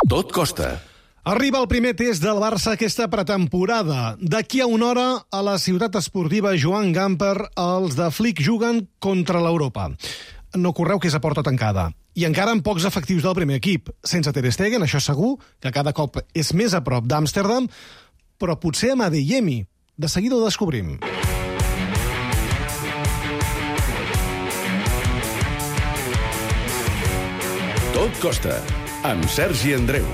Tot costa. Arriba el primer test del Barça aquesta pretemporada. D'aquí a una hora, a la ciutat esportiva Joan Gamper, els de Flick juguen contra l'Europa. No correu que és a porta tancada. I encara amb pocs efectius del primer equip. Sense Ter Stegen, això segur, que cada cop és més a prop d'Amsterdam, però potser amb Adeyemi. De seguida ho descobrim. Tot costa, amb Sergi Andreu.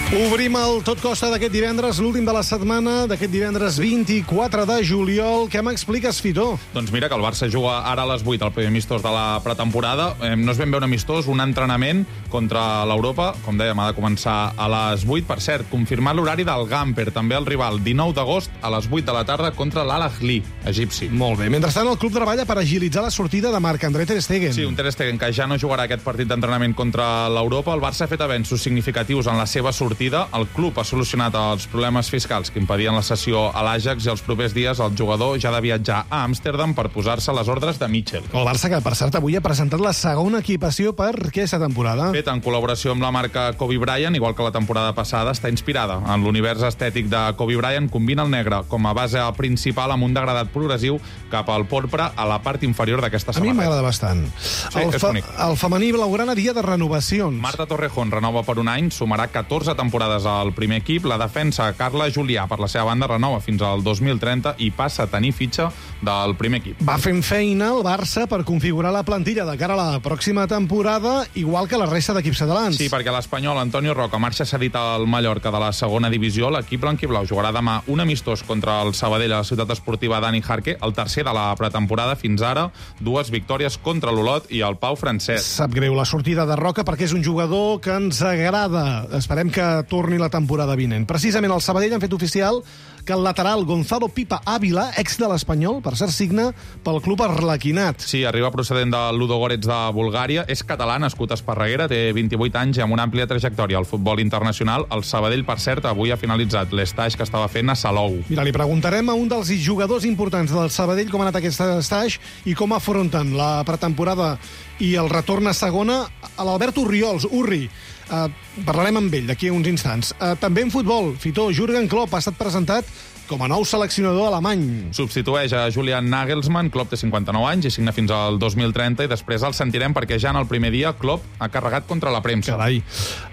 Obrim el Tot Costa d'aquest divendres, l'últim de la setmana, d'aquest divendres 24 de juliol. Què m'expliques, Fitó? Doncs mira que el Barça juga ara a les 8 al primer amistós de la pretemporada. No és ben bé un amistós, un entrenament contra l'Europa. Com dèiem, ha de començar a les 8. Per cert, confirmat l'horari del Gamper, també el rival, 19 d'agost a les 8 de la tarda contra l'Al-Ahly, egipci. Molt bé. Mentrestant, el club treballa per agilitzar la sortida de Marc-André Ter Stegen. Sí, un Ter Stegen que ja no jugarà aquest partit d'entrenament contra l'Europa. El Barça ha fet avenços significatius en la seva sortida. El club ha solucionat els problemes fiscals que impedien la cessió a l'Ajax i els propers dies el jugador ja ha de viatjar a Amsterdam per posar-se a les ordres de Michel. El Barça, que per cert avui ha presentat la segona equipació per aquesta temporada. Fet en col·laboració amb la marca Kobe Bryant, igual que la temporada passada, està inspirada en l'univers estètic de Kobe Bryant. Combina el negre com a base principal amb un degradat progressiu cap al porpra a la part inferior d'aquesta samarreta. A mi m'agrada bastant. Sí, és bonic. El femení blaugrana, dia de renovacions. Marta Torrejón renova per un any, sumarà 14 temporades al primer equip. La defensa, Carla Julià, per la seva banda, renova fins al 2030 i passa a tenir fitxa del primer equip. Va fent feina el Barça per configurar la plantilla de cara a la pròxima temporada, igual que la resta d'equips catalans. Sí, perquè l'espanyol Antonio Roca marxa cedit al Mallorca de la segona divisió. L'equip blanquiblau jugarà demà un amistós contra el Sabadell a la ciutat esportiva Dani Jarque, el tercer de la pretemporada fins ara, 2 victòries contra l'Olot i el Pau Francesc. Sap greu la sortida de Roca perquè és un jugador que ens agrada. Esperem que torni la temporada vinent. Precisament el Sabadell han fet oficial que el lateral Gonzalo Pipa Ávila, ex de l'Espanyol, per cert, signa pel club arlequinat. Sí, arriba procedent de Ludogorets de Bulgària. És català, nascut a Esparreguera, té 28 anys i amb una àmplia trajectòria al futbol internacional. El Sabadell, per cert, avui ha finalitzat l'estage que estava fent a Salou. Mira, li preguntarem a un dels jugadors importants del Sabadell com ha anat aquest estage i com afronten la pretemporada i el retorn a segona, a l'Albert Urriols. Urri, parlarem amb ell d'aquí a uns instants. També en futbol, Fitó, Jürgen Klopp ha estat presentat com a nou seleccionador alemany. Substitueix a Julian Nagelsmann. Klopp té 59 anys i signa fins al 2030 i després el sentirem perquè ja en el primer dia Klopp ha carregat contra la premsa. Carai.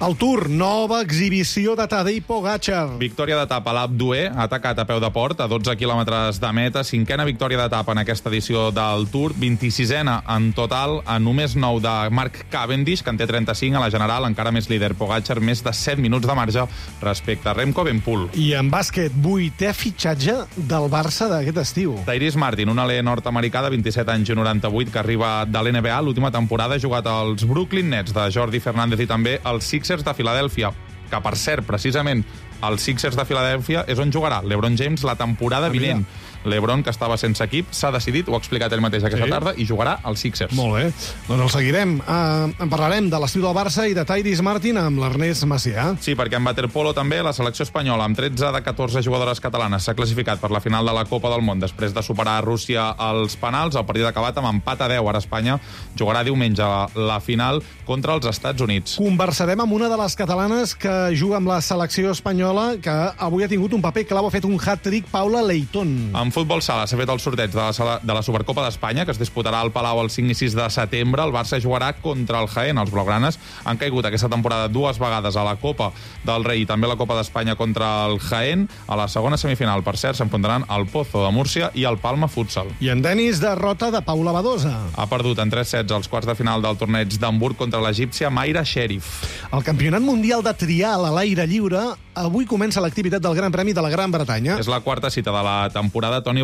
El Tour, nova exhibició de Tadej Pogačar. Victòria d'etapa a l'Alpe d'Huez, ha atacat a peu de port a 12 quilòmetres de meta, 5a victòria d'etapa en aquesta edició del Tour, 26a en total, a només 9 de Mark Cavendish, que en té 35, a la general encara més líder Pogačar, més de 7 minuts de marge respecte a Remco Evenepoel. I en bàsquet, 8è fitxatge del Barça d'aquest estiu. Tyrese Martin, un alè nord-americà de 27 anys i 98 que arriba de l'NBA. L'última temporada ha jugat als Brooklyn Nets de Jordi Fernández i també als Sixers de Filadèlfia, que per cert, precisament, els Sixers de Filadèlfia és on jugarà LeBron James la temporada vinent. LeBron, que estava sense equip, s'ha decidit, ho ha explicat ell mateix aquesta tarda, i jugarà als Sixers. Molt bé. Doncs el seguirem. En parlarem de l'estiu del Barça i de Tyrese Martin amb l'Ernest Macià. Sí, perquè en waterpolo també la selecció espanyola, amb 13 de 14 jugadores catalanes, s'ha classificat per la final de la Copa del Món després de superar Rússia als penals. El partit acabat amb empat a 10. Ara Espanya jugarà diumenge la final contra els Estats Units. Conversarem amb una de les catalanes que juga amb la selecció espanyola, que avui ha tingut un paper clau, ha fet un hat-trick, Paula Leitón. En futbol sala s'ha fet el sorteig de la Supercopa d'Espanya, que es disputarà al Palau el 5 i 6 de setembre. El Barça jugarà contra el Jaén. Els blaugranes han caigut aquesta temporada 2 vegades a la Copa del Rei i també a la Copa d'Espanya contra el Jaén. A la segona semifinal, per cert, s'enfrontaran el Pozo de Múrcia i el Palma Futsal. I en tenis, derrota de Paula Badosa. Ha perdut en 3 sets als quarts de final del torneig d'Hamburg contra l'egípcia Mayra Sherif. El Campionat Mundial de Trial a l'aire lliure avui comença l'activitat del Gran Premi de la Gran Bretanya. És la quarta cita de la temporada. Toni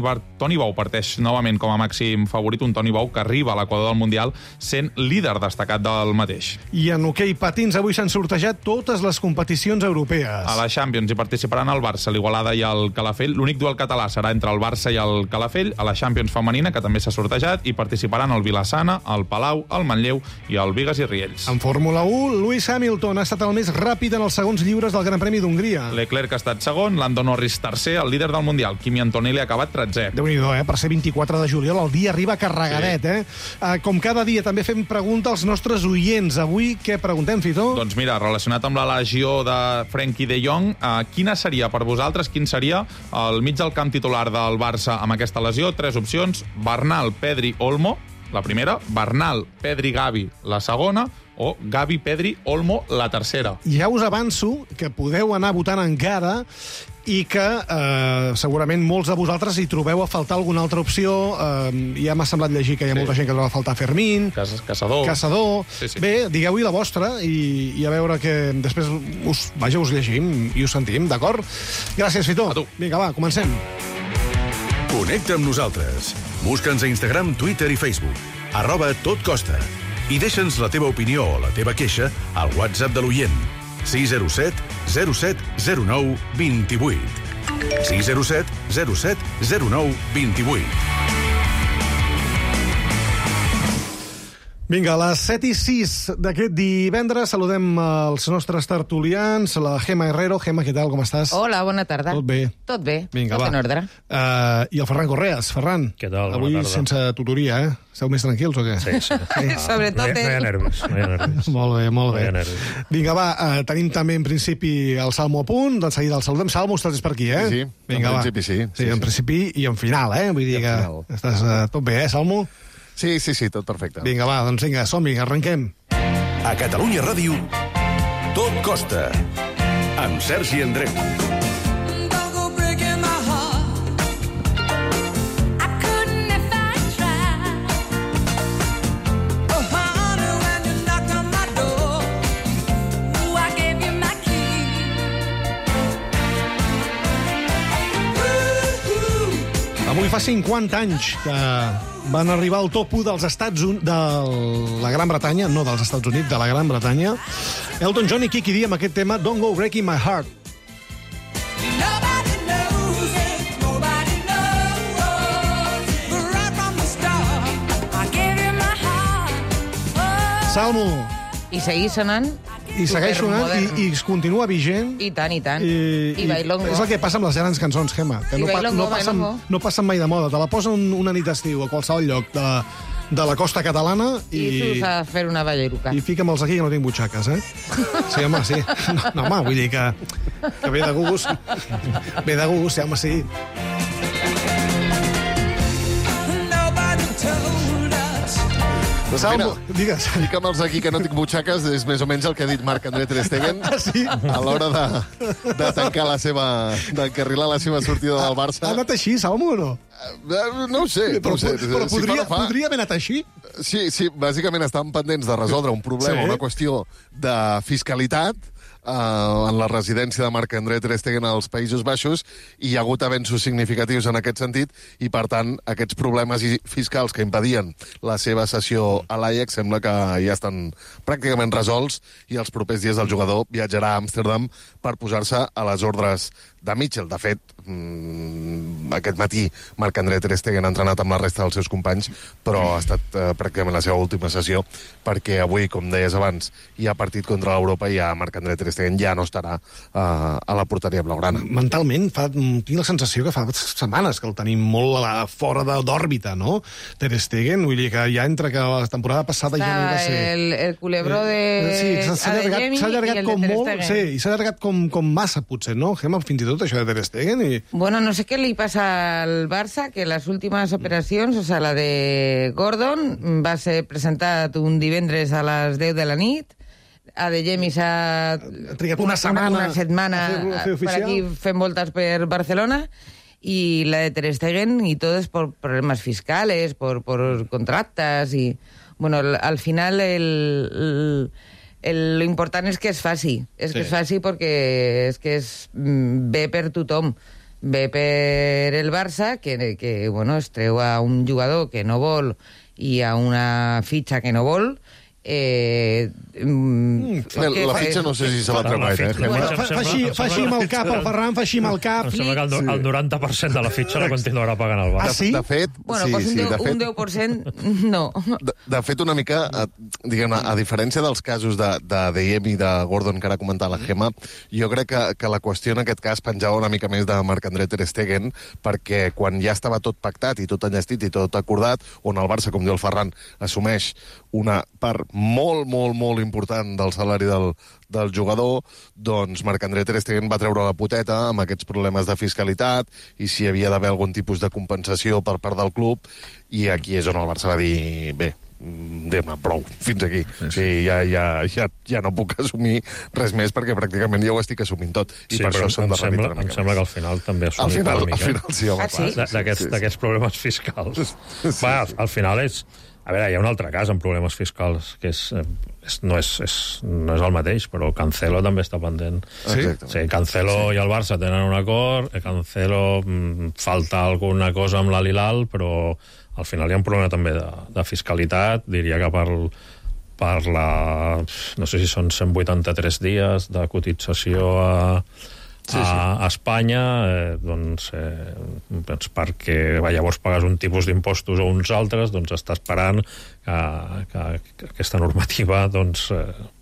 Bou parteix novament com a màxim favorit, un Toni Bou que arriba a l'equador del Mundial sent líder destacat del mateix. I en hoquei patins avui s'han sortejat totes les competicions europees. A la Champions hi participaran el Barça, l'Igualada i el Calafell. L'únic duel català serà entre el Barça i el Calafell. A la Champions femenina, que també s'ha sortejat, hi participaran el Vilassana, el Palau, el Manlleu i el Vigas i Riells. En Fórmula 1, Lewis Hamilton ha estat el més ràpid en els segons lliures del Gran Premi d'Hongria. vindria. Leclerc ha estat segon, Lando Norris tercer, el líder del Mundial, Kimi Antonelli, ha acabat 13è. Déu-n'hi-do, per ser 24 de juliol, el dia arriba carregadet, Com cada dia, també fem pregunta als nostres oients. Avui, què preguntem, Fito? Doncs mira, relacionat amb la legió de Frenkie de Jong, quina seria per vosaltres, quin seria el mig del camp titular del Barça amb aquesta lesió? 3 opcions: Bernal, Pedri, Olmo, la primera; Bernal, Pedri, Gavi, la segona; o Gavi, Pedri, Olmo, la tercera. Ja us avanço que podeu anar votant encara i que segurament molts de vosaltres hi trobeu a faltar alguna altra opció. Ja m'ha semblat llegir que hi ha molta gent que troba a faltar Fermín, Caçador. Sí. Bé, digueu-hi la vostra i a veure que després us llegim i us sentim, d'acord? Gràcies, Fito. A tu. Vinga, va, comencem. Connecta amb nosaltres. Busca'ns a Instagram, Twitter i Facebook. @totcosta. I deixa'ns la teva opinió o la teva queixa al WhatsApp de l'oient. 607 07 09 28. 607 07 09 28. Vinga, a les 7:06 d'aquest divendres saludem els nostres tertulians, la Gemma Herrero. Gemma, què tal, com estàs? Hola, bona tarda. Tot bé? Tot bé, Vinga, tot va. en ordre. I el Ferran Correas. Ferran, Què tal? Bona avui tarda. sense tutoria, Esteu més tranquils o què? Sí. Sobretot No hi ha nervis, no hi ha nervis. Molt bé, molt No hi bé. ha nervis. Vinga, va, tenim també en principi el Salmo a punt, de seguida el saludem. Salmo, estàs per aquí, Sí, Vinga, en va. principi sí. Sí, en principi i en final, Vull dir I que en final. estàs tot bé, Salmo? Sí, tot perfecte. Vinga, va, doncs vinga, som-hi, arrenquem. A Catalunya Ràdio, Tot Costa. Amb Sergi Andreu. Don't go breaking my heart. I couldn't if I tried. Oh, honey, when you knocked on my door, ooh, I gave you my key. Avui fa 50 anys que van arribar al top 1 dels de la Gran Bretanya, no dels Estats Units, de la Gran Bretanya. Elton John i Kiki D amb aquest tema Don't Go Breaking My Heart. Nobody knows it, nobody knows. But right from the start, I gave you my heart. Oh. Salmo, I seguir sonant i segueix sonant supermodern. i es continua vigent. I tant. I bailongo. És el que passa amb les grans cançons, Gemma, que I bailongo, bailongo. no passen mai de moda. Te la posen una nit d'estiu a qualsevol lloc de la costa catalana I surts a fer una balleruca. i fica'm-els aquí que no tinc butxaques, Sí, home, sí. No, home, vull dir que ve de gust. Ve de gust, sí, home, sí. Nobody told us. Salmo, digues. Fica'm-els aquí que no tinc butxaques és més o menys el que ha dit Marc-André Ter Stegen Sí. a l'hora de tancar d'encarrilar la seva sortida del Ha Barça. anat així, Salmo, o no? No ho sé. Però Si podria haver anat així? Sí, bàsicament estaven pendents de resoldre un problema, Sí. una qüestió de fiscalitat en la residència de Marc-André Ter Stegen als Països Baixos, i hi ha hagut avenços significatius en aquest sentit, i per tant aquests problemes fiscals que impedien la seva cessió a l'Ajax sembla que ja estan pràcticament resolts, i els propers dies el jugador viatjarà a Amsterdam per posar-se a les ordres de Mitchell. De fet, aquest matí Marc-André Ter Stegen ha entrenat amb la resta dels seus companys, però ha estat pràcticament la seva última sessió, perquè avui, com deies abans, hi ha partit contra l'Europa i ja Marc-André Ter Stegen ja no estarà a la porteria blaugrana. Mentalment, tinc la sensació que fa setmanes que el tenim molt fora d'òrbita, no? Ter Stegen, vull dir que ja entre que la temporada passada ja no hi va ser... El culebró de Sí, s'ha allargat com molt, sí, i s'ha allargat com massa, potser, no? Gemma, fins i tot això de Ter Stegen i... Bueno, no sé qué le pasa al Barça, que las últimas operacions, o sea, la de Gordon, va ser presentat un divendres a les 10 de la nit, a De Jemi s'ha trigat una setmana a fer oficial. per aquí fent voltes per Barcelona, y la de Ter Stegen y todo es por problemas fiscales, por contractes, y bueno, al final lo important és que es faci, que es faci perquè és que ve per tothom, ve per el Barça, que bueno, es treu a un jugador que no vol i a una fitxa que no vol, La fitxa no sé si se la treu gaire, Fa així amb el cap, el Ferran fa així amb el cap. Em sembla que el 90% de la fitxa la continuarà pagant el Barça. Ah, sí? De fet, Bueno, pues un 10% no. De fet, una mica, diguem-ne, a diferència dels casos de Diem i de Gordon, que ara comentava la Gemma, jo crec que la qüestió en aquest cas penjava una mica més de Marc-André Ter Stegen, perquè quan ja estava tot pactat i tot enllestit i tot acordat, on el Barça, com diu el Ferran, assumeix una part molt, molt, molt important del salari del jugador, doncs Marc-André Ter Stegen va treure la poteta amb aquests problemes de fiscalitat i si hi havia d'haver algun tipus de compensació per part del club, i aquí és on el Barça va dir, bé, anem-ne, prou, fins aquí. Sí, ja no puc assumir res més perquè pràcticament ja ho estic assumint tot. I Sí, per però això s'han de revitre una em mica sembla més. que al final també Al assumim final, una mica. sí, home, Ah, sí? clar. D'aquests problemes fiscals. Va, al final és... A veure, hi ha un altre cas amb problemes fiscals, que no és el mateix, però Cancelo també està pendent. Exactament. Sí, Cancelo i el Barça tenen un acord, Cancelo falta alguna cosa amb l'Al-Hilal, però al final hi ha un problema també de fiscalitat, diria que per la... no sé si són 183 dies de cotització a Espanya, doncs perquè llavors pagues un tipus d'impostos o uns altres, doncs està esperant que aquesta normativa doncs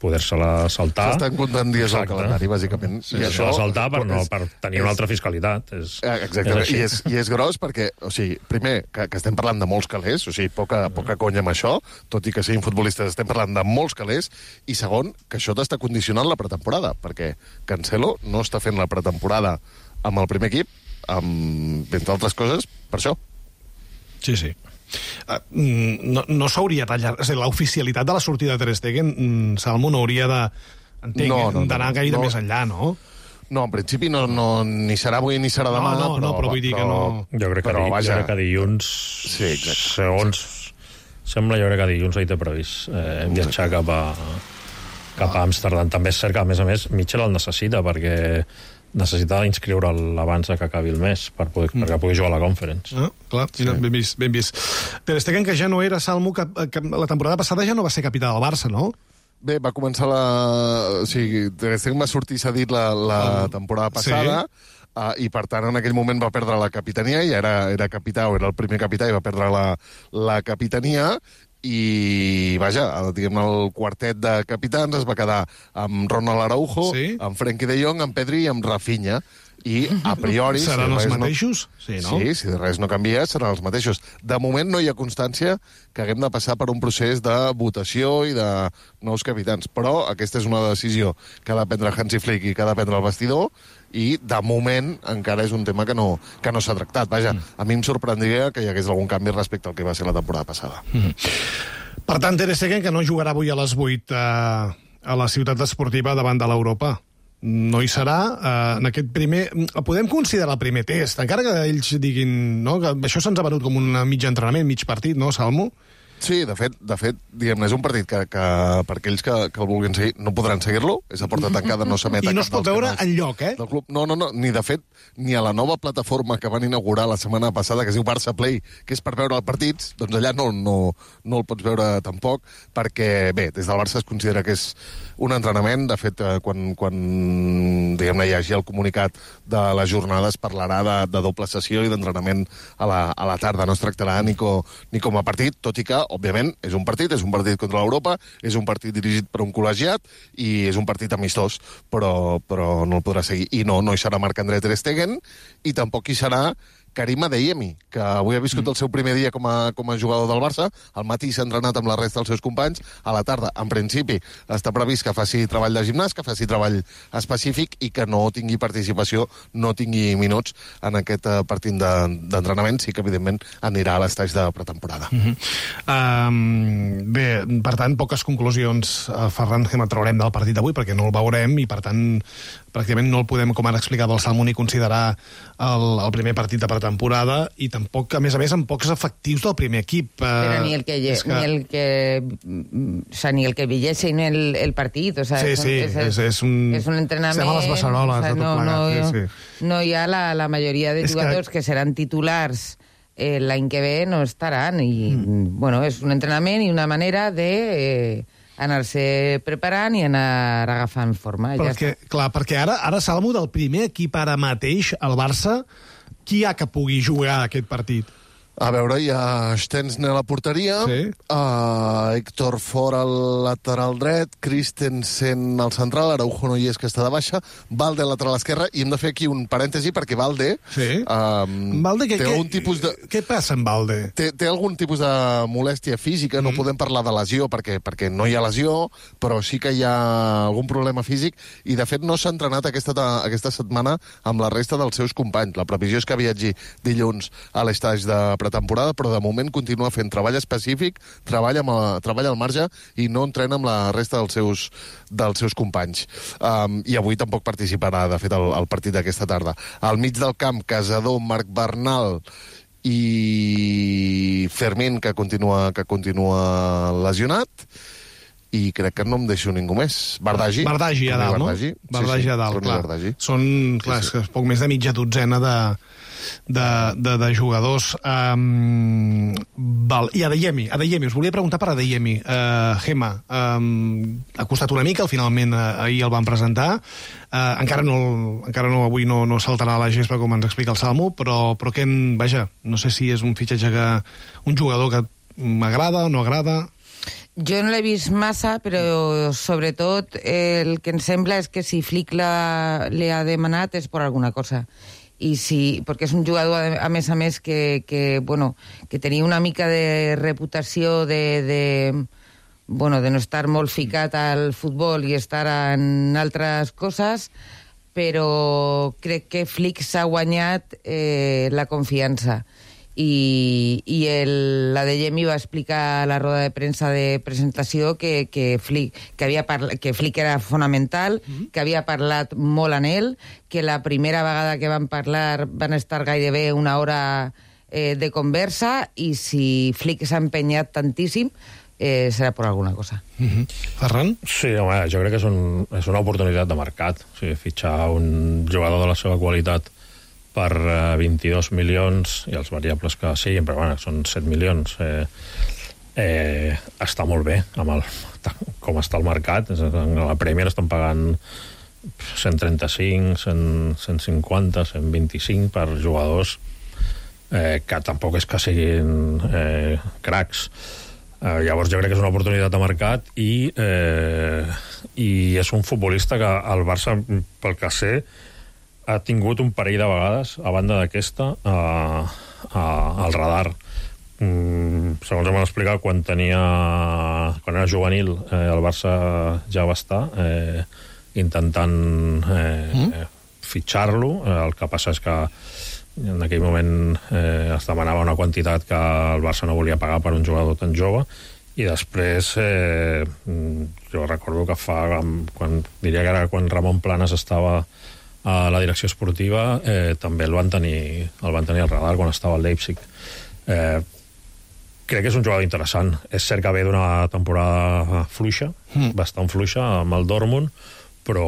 poder-se-la saltar. S'estan comptant dies al calendari, bàsicament. I això saltar per tenir una altra fiscalitat. Exactament, i és gros perquè, o sigui, primer, que estem parlant de molts calés, o sigui, poca conya amb això, tot i que siguin futbolistes, estem parlant de molts calés, i segon, que això t'està condicionant la pretemporada, perquè Cancelo no està fent la pretemporada amb el primer equip, entre altres coses, per això. Sí, sí. No s'hauria tallat... És a dir, l'oficialitat de la sortida de Ter Stegen, Salmo, no hauria d'anar gaire més enllà, no? No, en principi ni serà avui ni serà demà. No, però vull dir que no... Jo crec que dilluns... Sí, exacte. Segons sembla, jo crec que dilluns ell té previst viatjar cap a Amsterdam. També és cert que, a més, Mitchell el necessita, perquè necessita inscriure'l abans que acabi el mes perquè pugui jugar a la Conference. Clar, sí. Ben vist. Ter Stegen, que ja no era, Salmo, que la temporada passada ja no va ser capità del Barça, no? Bé, va començar o sigui, Ter Stegen va sortir cedit la temporada passada, i per tant en aquell moment va perdre la capitania, i era capità, o era el primer capità, i va perdre la capitania, i vaja, diguem-ne, el quartet de capitans es va quedar amb Ronald Araujo, amb Frenkie de Jong, amb Pedri i amb Rafinha, i a priori... Seran els mateixos? Sí, no? Sí, si res no canvia, seran els mateixos. De moment no hi ha constància que haguem de passar per un procés de votació i de nous capitans, però aquesta és una decisió que ha de prendre Hansi Flick i que ha de prendre el vestidor, i de moment encara és un tema que no s'ha tractat. Vaja, a mi em sorprendria que hi hagués algun canvi respecte al que va ser la temporada passada. Per tant, Ter Stegen, que no jugarà avui a les 8 a la ciutat esportiva davant de l'Europa. No hi serà en aquest primer... Podem considerar el primer test, encara que ells diguin, no, que això se'ns ha venut com un mig entrenament, mig partit, no, Salmo? Sí, de fet, diguem-ne, és un partit que per aquells que el vulguin seguir no podran seguir-lo, és a porta tancada, no s'emet I no es pot veure enlloc, del club. No, ni de fet, ni a la nova plataforma que van inaugurar la setmana passada, que es diu Barça Play, que és per veure els partits, doncs allà no el pots veure tampoc, perquè, bé, des del Barça es considera que és un entrenament. De fet, quan diguem-ne, hi hagi el comunicat de la jornada, es parlarà de doble sessió i d'entrenament a la tarda. No es tractarà ni com a partit, tot i que, òbviament, és un partit contra l'Europa, és un partit dirigit per un col·legiat i és un partit amistós, però no el podrà seguir. I no hi serà Marc-André Ter Stegen, i tampoc hi serà Karim Adeyemi, que avui ha viscut el seu primer dia com a jugador del Barça. Al matí s'ha entrenat amb la resta dels seus companys. A la tarda, en principi, està previst que faci treball de gimnàs, que faci treball específic i que no tingui participació, no tingui minuts en aquest partit d'entrenament. Sí que, evidentment, anirà a l'estatge de pretemporada. Bé, per tant, poques conclusions, Ferran, que traurem del partit d'avui, perquè no el veurem i, per tant, pràcticament no el podem, com ara explicava el Salmo, ni considerar el primer partit de pretemporada, i tampoc, a més, amb pocs efectius del primer equip. Però ni el que vigesse el partit. O sea, és un entrenament. Estem a les beceroles, de tot plegat. No hi ha la majoria de jugadors que seran titulars l'any que ve, no estaran. I, bueno, és un entrenament i una manera de anar-se preparant i anar agafant forma. Perquè ara, Salmo, del primer equip ara mateix, el Barça, qui hi ha que pugui jugar aquest partit? A veure, hi ha Stensner a la porteria, Sí. Héctor Ford al lateral dret, Christensen al central, Araujo no hi és, que està de baixa, Valde al lateral esquerre, i hem de fer aquí un parèntesi perquè Valde... Sí. Valde, té algun tipus de... Què passa amb Valde? Té algun tipus de molèstia física, no podem parlar de lesió perquè no hi ha lesió, però sí que hi ha algun problema físic, i de fet no s'ha entrenat aquesta setmana amb la resta dels seus companys. La previsió és que viatgi dilluns a l'estaix de pretemporada, però de moment continua fent treball específic, treball al marge i no entrena amb la resta dels seus companys. I avui tampoc participarà, de fet, al partit d'aquesta tarda. Al mig del camp, Casador, Marc Bernal i Fermín, que continua lesionat, i crec que no em deixo ningú més. Bardagi a dalt, no? Bardagi a dalt, clar. Són, clar, és poc més de mitja dotzena de jugadors. I Adeyemi, us volia preguntar per Adeyemi. Gemma, ha costat una mica, finalment ahir el van presentar. Encara no, avui no saltarà a la gespa, com ens explica el Salmo, però que, vaja, no sé si és un fitxatge un jugador que m'agrada o no agrada. Jo no l'he vist massa, però sobretot el que em sembla és que si Flick li ha demanat és per alguna cosa. I perquè és un jugador, a més, que tenia una mica de reputació de no estar molt ficat al futbol i estar en altres coses, però crec que Flick s'ha guanyat la confiança. I l'Adeyemi va explicar a la roda de premsa de presentació que Flick era fonamental, que havia parlat molt amb ell, que la primera vegada que van parlar van estar gairebé una hora de conversa, i si Flick s'ha empenyat tantíssim serà per alguna cosa. Ferran? Sí, home, jo crec que és una oportunitat de mercat. O sigui, fitxar un jugador de la seva qualitat per 22 milions, i els variables que siguin, però bueno, són 7 milions, està molt bé com està el mercat. A la Premier estan pagant 135, 150, 125 per jugadors que tampoc és que siguin cracs. Llavors jo crec que és una oportunitat de mercat, i és un futbolista que el Barça, pel que sé, ha tingut un parell de vegades, a banda d'aquesta, al radar. Segons em van explicar, quan era juvenil, el Barça ja va estar intentant fitxar-lo. El que passa és que en aquell moment es demanava una quantitat que el Barça no volia pagar per un jugador tan jove, i després jo recordo que diria que era quan Ramon Planas estava a la direcció esportiva, també el van tenir al radar quan estava al Leipzig. Crec que és un jugador interessant. És cert que ve d'una temporada fluixa, bastant fluixa, amb el Dortmund, però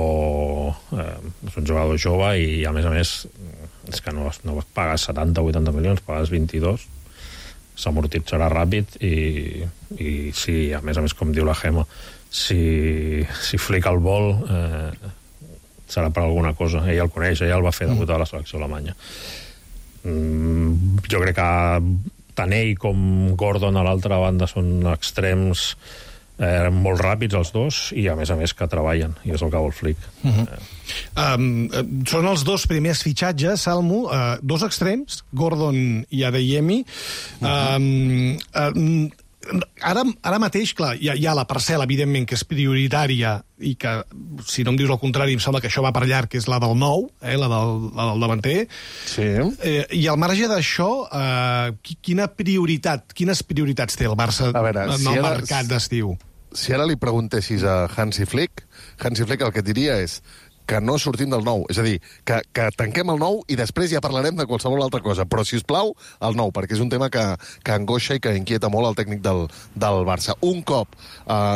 és un jugador jove, i a més és que no pagues 70 o 80 milions, pagues 22, s'amortitzarà ràpid, i sí, a més, com diu la Gemma, si Flick el vol, serà per alguna cosa. Ell el coneix, ell el va fer debutar a la selecció alemanya. Jo crec que tant ell com Gordon a l'altra banda són extrems molt ràpids, els dos, i a més que treballen, i és el que vol Flick. Són els dos primers fitxatges, Salmo, dos extrems, Gordon i Adeyemi. Ara mateix, clar, hi ha la parcel·la, evidentment, que és prioritària, i que, si no em dius el contrari, em sembla que això va per llarg, que és la del nou, la del davanter. Sí. I al marge d'això, quines prioritats té el Barça en el mercat d'estiu? Si ara li preguntessis a Hansi Flick el que diria és: que no sortim del 9. És a dir, que tanquem el 9 i després ja parlarem de qualsevol altra cosa. Però, si us plau, el 9, perquè és un tema que angoixa i que inquieta molt el tècnic del Barça. Un cop,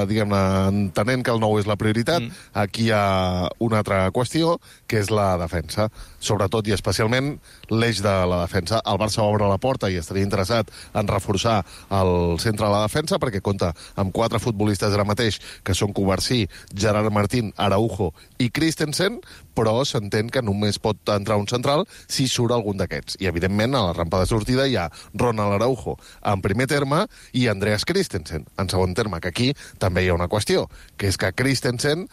diguem-ne, entenent que el 9 és la prioritat, aquí hi ha una altra qüestió, que és la defensa. Sobretot i especialment l'eix de la defensa. El Barça obre la porta i estaria interessat en reforçar el centre de la defensa, perquè compta amb 4 futbolistes ara mateix, que són Covarsí, Gerard Martín, Araujo i Christensen, però s'entén que només pot entrar un central si surt algun d'aquests. I, evidentment, a la rampa de sortida hi ha Ronald Araujo en primer terme i Andreas Christensen en segon terme, que aquí també hi ha una qüestió, que és que Christensen,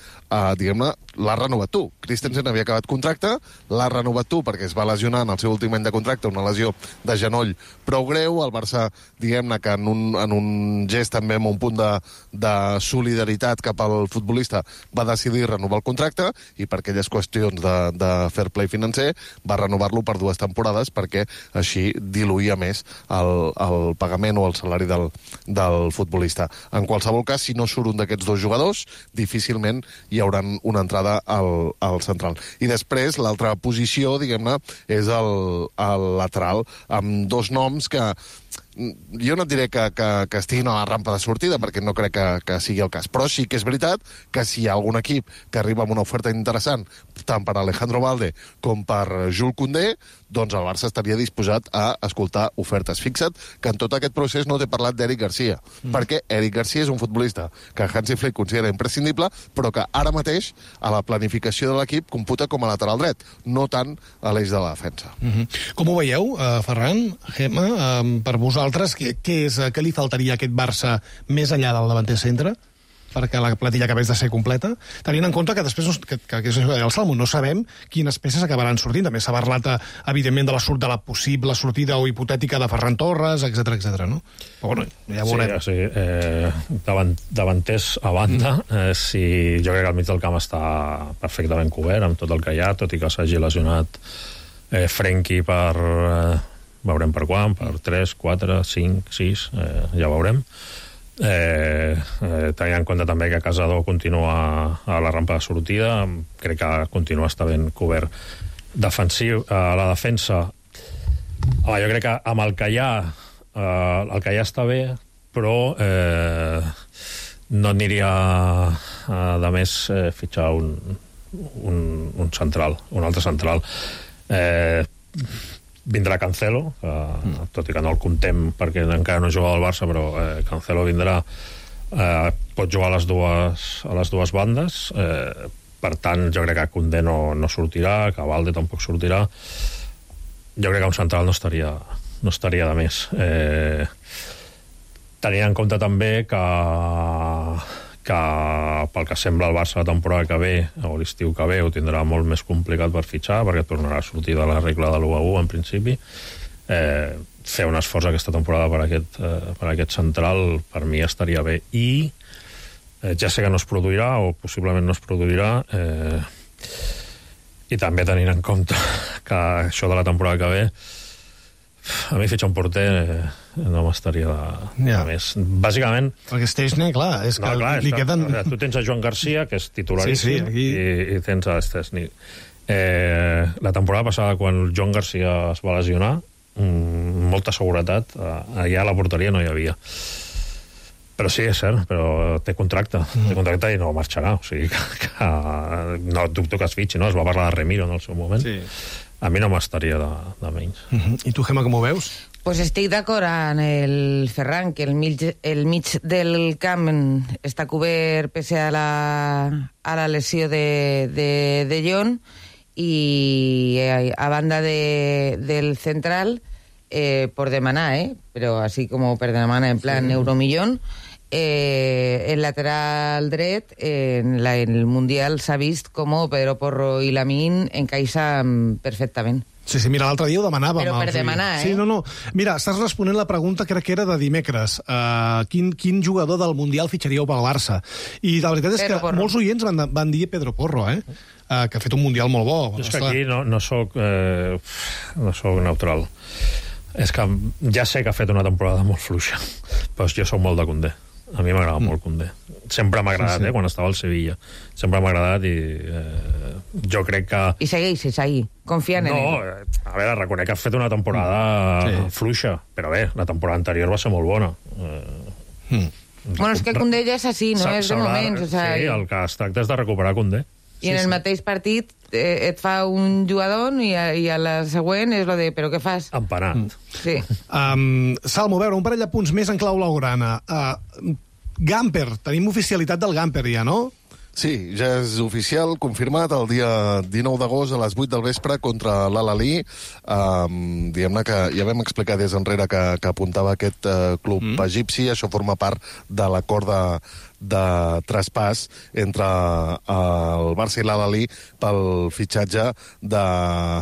diguem-ne, l'ha renovat tu. Christensen havia acabat contracte, l'ha renovat tu perquè es va lesionar en el seu últim any de contracte, una lesió de genoll prou greu. El Barça, diguem-ne, que en un gest també amb un punt de solidaritat cap al futbolista va decidir renovar el contracte i per aquelles qüestions de fair play financer va renovar-lo per 2 temporades perquè així diluïa més el pagament o el salari del futbolista. En qualsevol cas, si no surt un d'aquests 2 jugadors, difícilment hi haurà una entrada al central. I després, l'altra posició, diguem-ne, és el lateral, amb 2 noms que jo no et diré que estiguin a la rampa de sortida, perquè no crec que sigui el cas, però sí que és veritat que si hi ha algun equip que arriba amb una oferta interessant, tant per Alejandro Balde com per Jules Koundé, doncs el Barça estaria disposat a escoltar ofertes. Fixa't que en tot aquest procés no t'he parlat d'Eric Garcia, perquè Eric Garcia és un futbolista que Hansi Flick considera imprescindible, però que ara mateix a la planificació de l'equip computa com a lateral dret, no tant a l'eix de la defensa. Com ho veieu, Ferran, Gemma, per vosaltres, què li faltaria a aquest Barça més enllà del davanter centre perquè la plantilla acabés de ser completa, tenint en compte que després que és el Salmo, no sabem quines peces acabaran sortint. També s'ha parlat, evidentment, de la possible sortida o hipotètica de Ferran Torres, etc, no? Però, bueno, ja veurem. Sí, davanters a banda, jo crec que al mig del camp està perfectament cobert amb tot el que hi ha, tot i que s'hagi lesionat Frenkie per... veurem per quan, per 3, 4, 5, 6, ja veurem. Tenint en compte també que Casador continua a la rampa de sortida, crec que continua estar ben cobert. Defensiu, a la defensa, jo crec que amb el que hi ha està bé, però no aniria de més fitxar un central, un altre central. Vindrà Cancelo, tot i que no el comptem perquè encara no juga al Barça, però Cancelo vindrà, pot jugar a les dues bandes, per tant jo crec que Koundé no sortirà, que Balde tampoc sortirà. Jo crec que un central no estaria de més, tenint en compte també que pel que sembla el Barça la temporada que ve o l'estiu que ve ho tindrà molt més complicat per fitxar, perquè tornarà a sortir de la regla de l'1-1 en principi. Fer un esforç aquesta temporada per aquest central per mi estaria bé, i ja sé que no es produirà o possiblement no es produirà, i també tenint en compte que això de la temporada que ve, a mi fitxar un porter no m'estaria de més. Bàsicament... Perquè Stechny, clar, és que li queden... Tu tens a Joan Garcia, que és titularíssim, i tens a Stechny. La temporada passada, quan Joan Garcia es va lesionar, molta seguretat, allà a la porteria no hi havia. Però sí, és cert, però té contracte i no marxarà, o sigui que no dubto que es fitxi, no? Es va parlar de Remiro en el seu moment. Sí. A mi no m'estaria de menys. I tu, Gemma, com ho veus? Pues estic d'acord amb el Ferran, que el mig del camp està cobert pese a la lesió de Jon, i a banda del central, por demanar, però així com per demanar en plan euromillón, el lateral dret en el Mundial s'ha vist com Pedro Porro i Lamine encaixen perfectament. Sí, mira, l'altre dia ho demanàvem. Però per demanar, Sí, no. Mira, estàs responent la pregunta, crec que era de dimecres. Quin jugador del Mundial fitxaríeu pel Barça? I la veritat és que molts oients van dir Pedro Porro, que ha fet un Mundial molt bo. És que aquí no soc neutral. És que ja sé que ha fet una temporada molt fluixa, però jo soc molt de Koundé. A mi m'agrada molt Koundé. Sempre m'ha agradat, quan estava al Sevilla. Sempre m'ha agradat i Jo crec que... I segueixes ahí, confiant en No, ell. a veure, reconec que has fet una temporada fluixa, però bé, la temporada anterior va ser molt bona. Bueno, és que Koundé ja és així, no? És de moments. O sea, Sí, el que es tracta és de recuperar Koundé. I en el mateix partit et fa un jugador i a la següent és lo de però què fas? Empanat. Sí. Salmo, a veure, un parell de punts més en clau blaugrana. Gamper, tenim oficialitat del Gamper ja, no? Sí, ja és oficial, confirmat, el dia 19 d'agost a les 8 del vespre contra l'Al-Ahly. Diguem-ne que ja vam explicar des enrere que apuntava aquest club egipci. Això forma part de l'acord de traspàs entre el Barça i l'Al-Ahly pel fitxatge de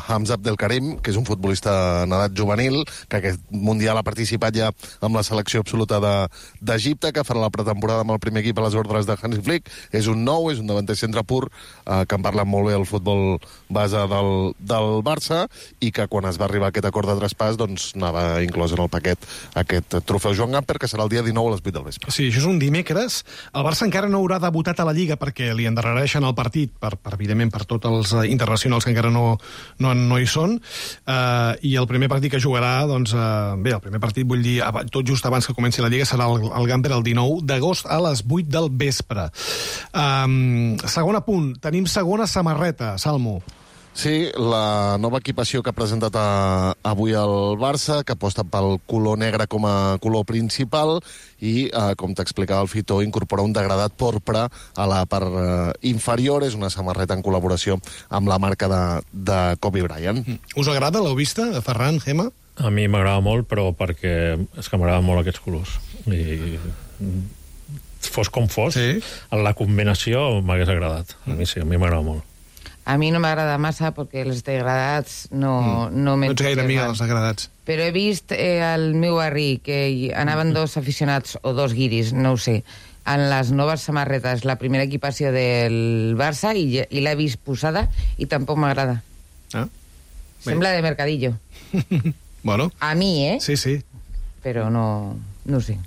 Hamza Abdelkarim, que és un futbolista en edat juvenil, que aquest Mundial ha participat ja amb la selecció absoluta d'Egipte, que farà la pretemporada amb el primer equip a les ordres de Hansi Flick. És un nou, és un davanter centre pur, que en parla molt bé el futbol base del Barça, i que quan es va arribar a aquest acord de traspàs doncs anava inclòs en el paquet aquest trofeu Joan Gamper, que serà el dia 19 a les 8 del vespre. Sí, això és un dimecres. El Barça encara no haurà debutat a la Lliga perquè li endarrereixen el partit, evidentment, per tots els internacionals que encara no hi són. I el primer partit que jugarà, doncs, bé, el primer partit, vull dir, tot just abans que comenci la Lliga, serà el Gamper el 19 d'agost a les 8 del vespre. Segon apunt, tenim segona samarreta, Salmo. Sí, la nova equipació que ha presentat avui el Barça, que aposta pel color negre com a color principal i, com t'explicava el Fito, incorpora un degradat porpra a la part inferior. És una samarreta en col·laboració amb la marca de Kobe Bryant. Us agrada? L'heu vista, Ferran, Gemma? A mi m'agrada molt, però perquè és que m'agraden molt aquests colors. I fos com fos, en la combinació m'hagués agradat. A mi sí, a mi m'agrada molt. A mi no m'agrada massa perquè els degradats no No ets gaire amiga dels degradats. Però he vist al meu barri que anaven dos aficionats o dos guiris, no ho sé, en les noves samarretes, la primera equipació del Barça, i l'he vist posada i tampoc m'agrada. Sembla de mercadillo. Bueno. A mi, Sí, sí. Però no sé.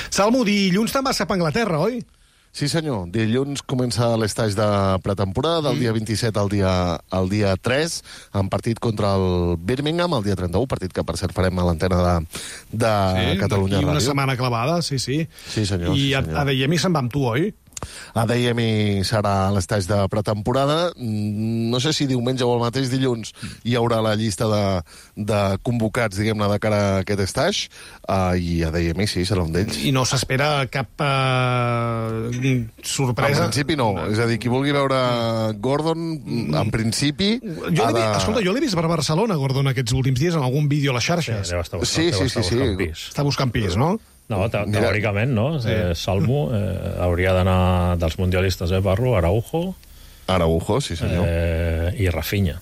Salmo, dilluns te'n vas cap a Anglaterra, oi? Sí, senyor. Dilluns comença l'estatge de pretemporada, del dia 27 al dia 3, en partit contra el Birmingham, el dia 31, partit que, per cert, farem a l'antena de Catalunya Ràdio. I una setmana clavada, sí. Sí, senyor. I a Deiemi se'n va amb tu, oi? A Deiemi serà l'estatge de pretemporada. No sé si diumenge o el mateix dilluns hi haurà la llista de convocats, diguem-ne, de cara a aquest estatge, i a Deiemi sí, serà un d'ells. I no s'espera cap sorpresa? En principi no. És a dir, qui vulgui veure Gordon, en principi... Escolta, jo l'he vist per Barcelona, Gordon, aquests últims dies, en algun vídeo a les xarxes. Sí. Està buscant pis, no? No, teòricament, no? Salmo hauria d'anar dels mundialistes, parlo, Araujo, sí senyor. I Rafinha.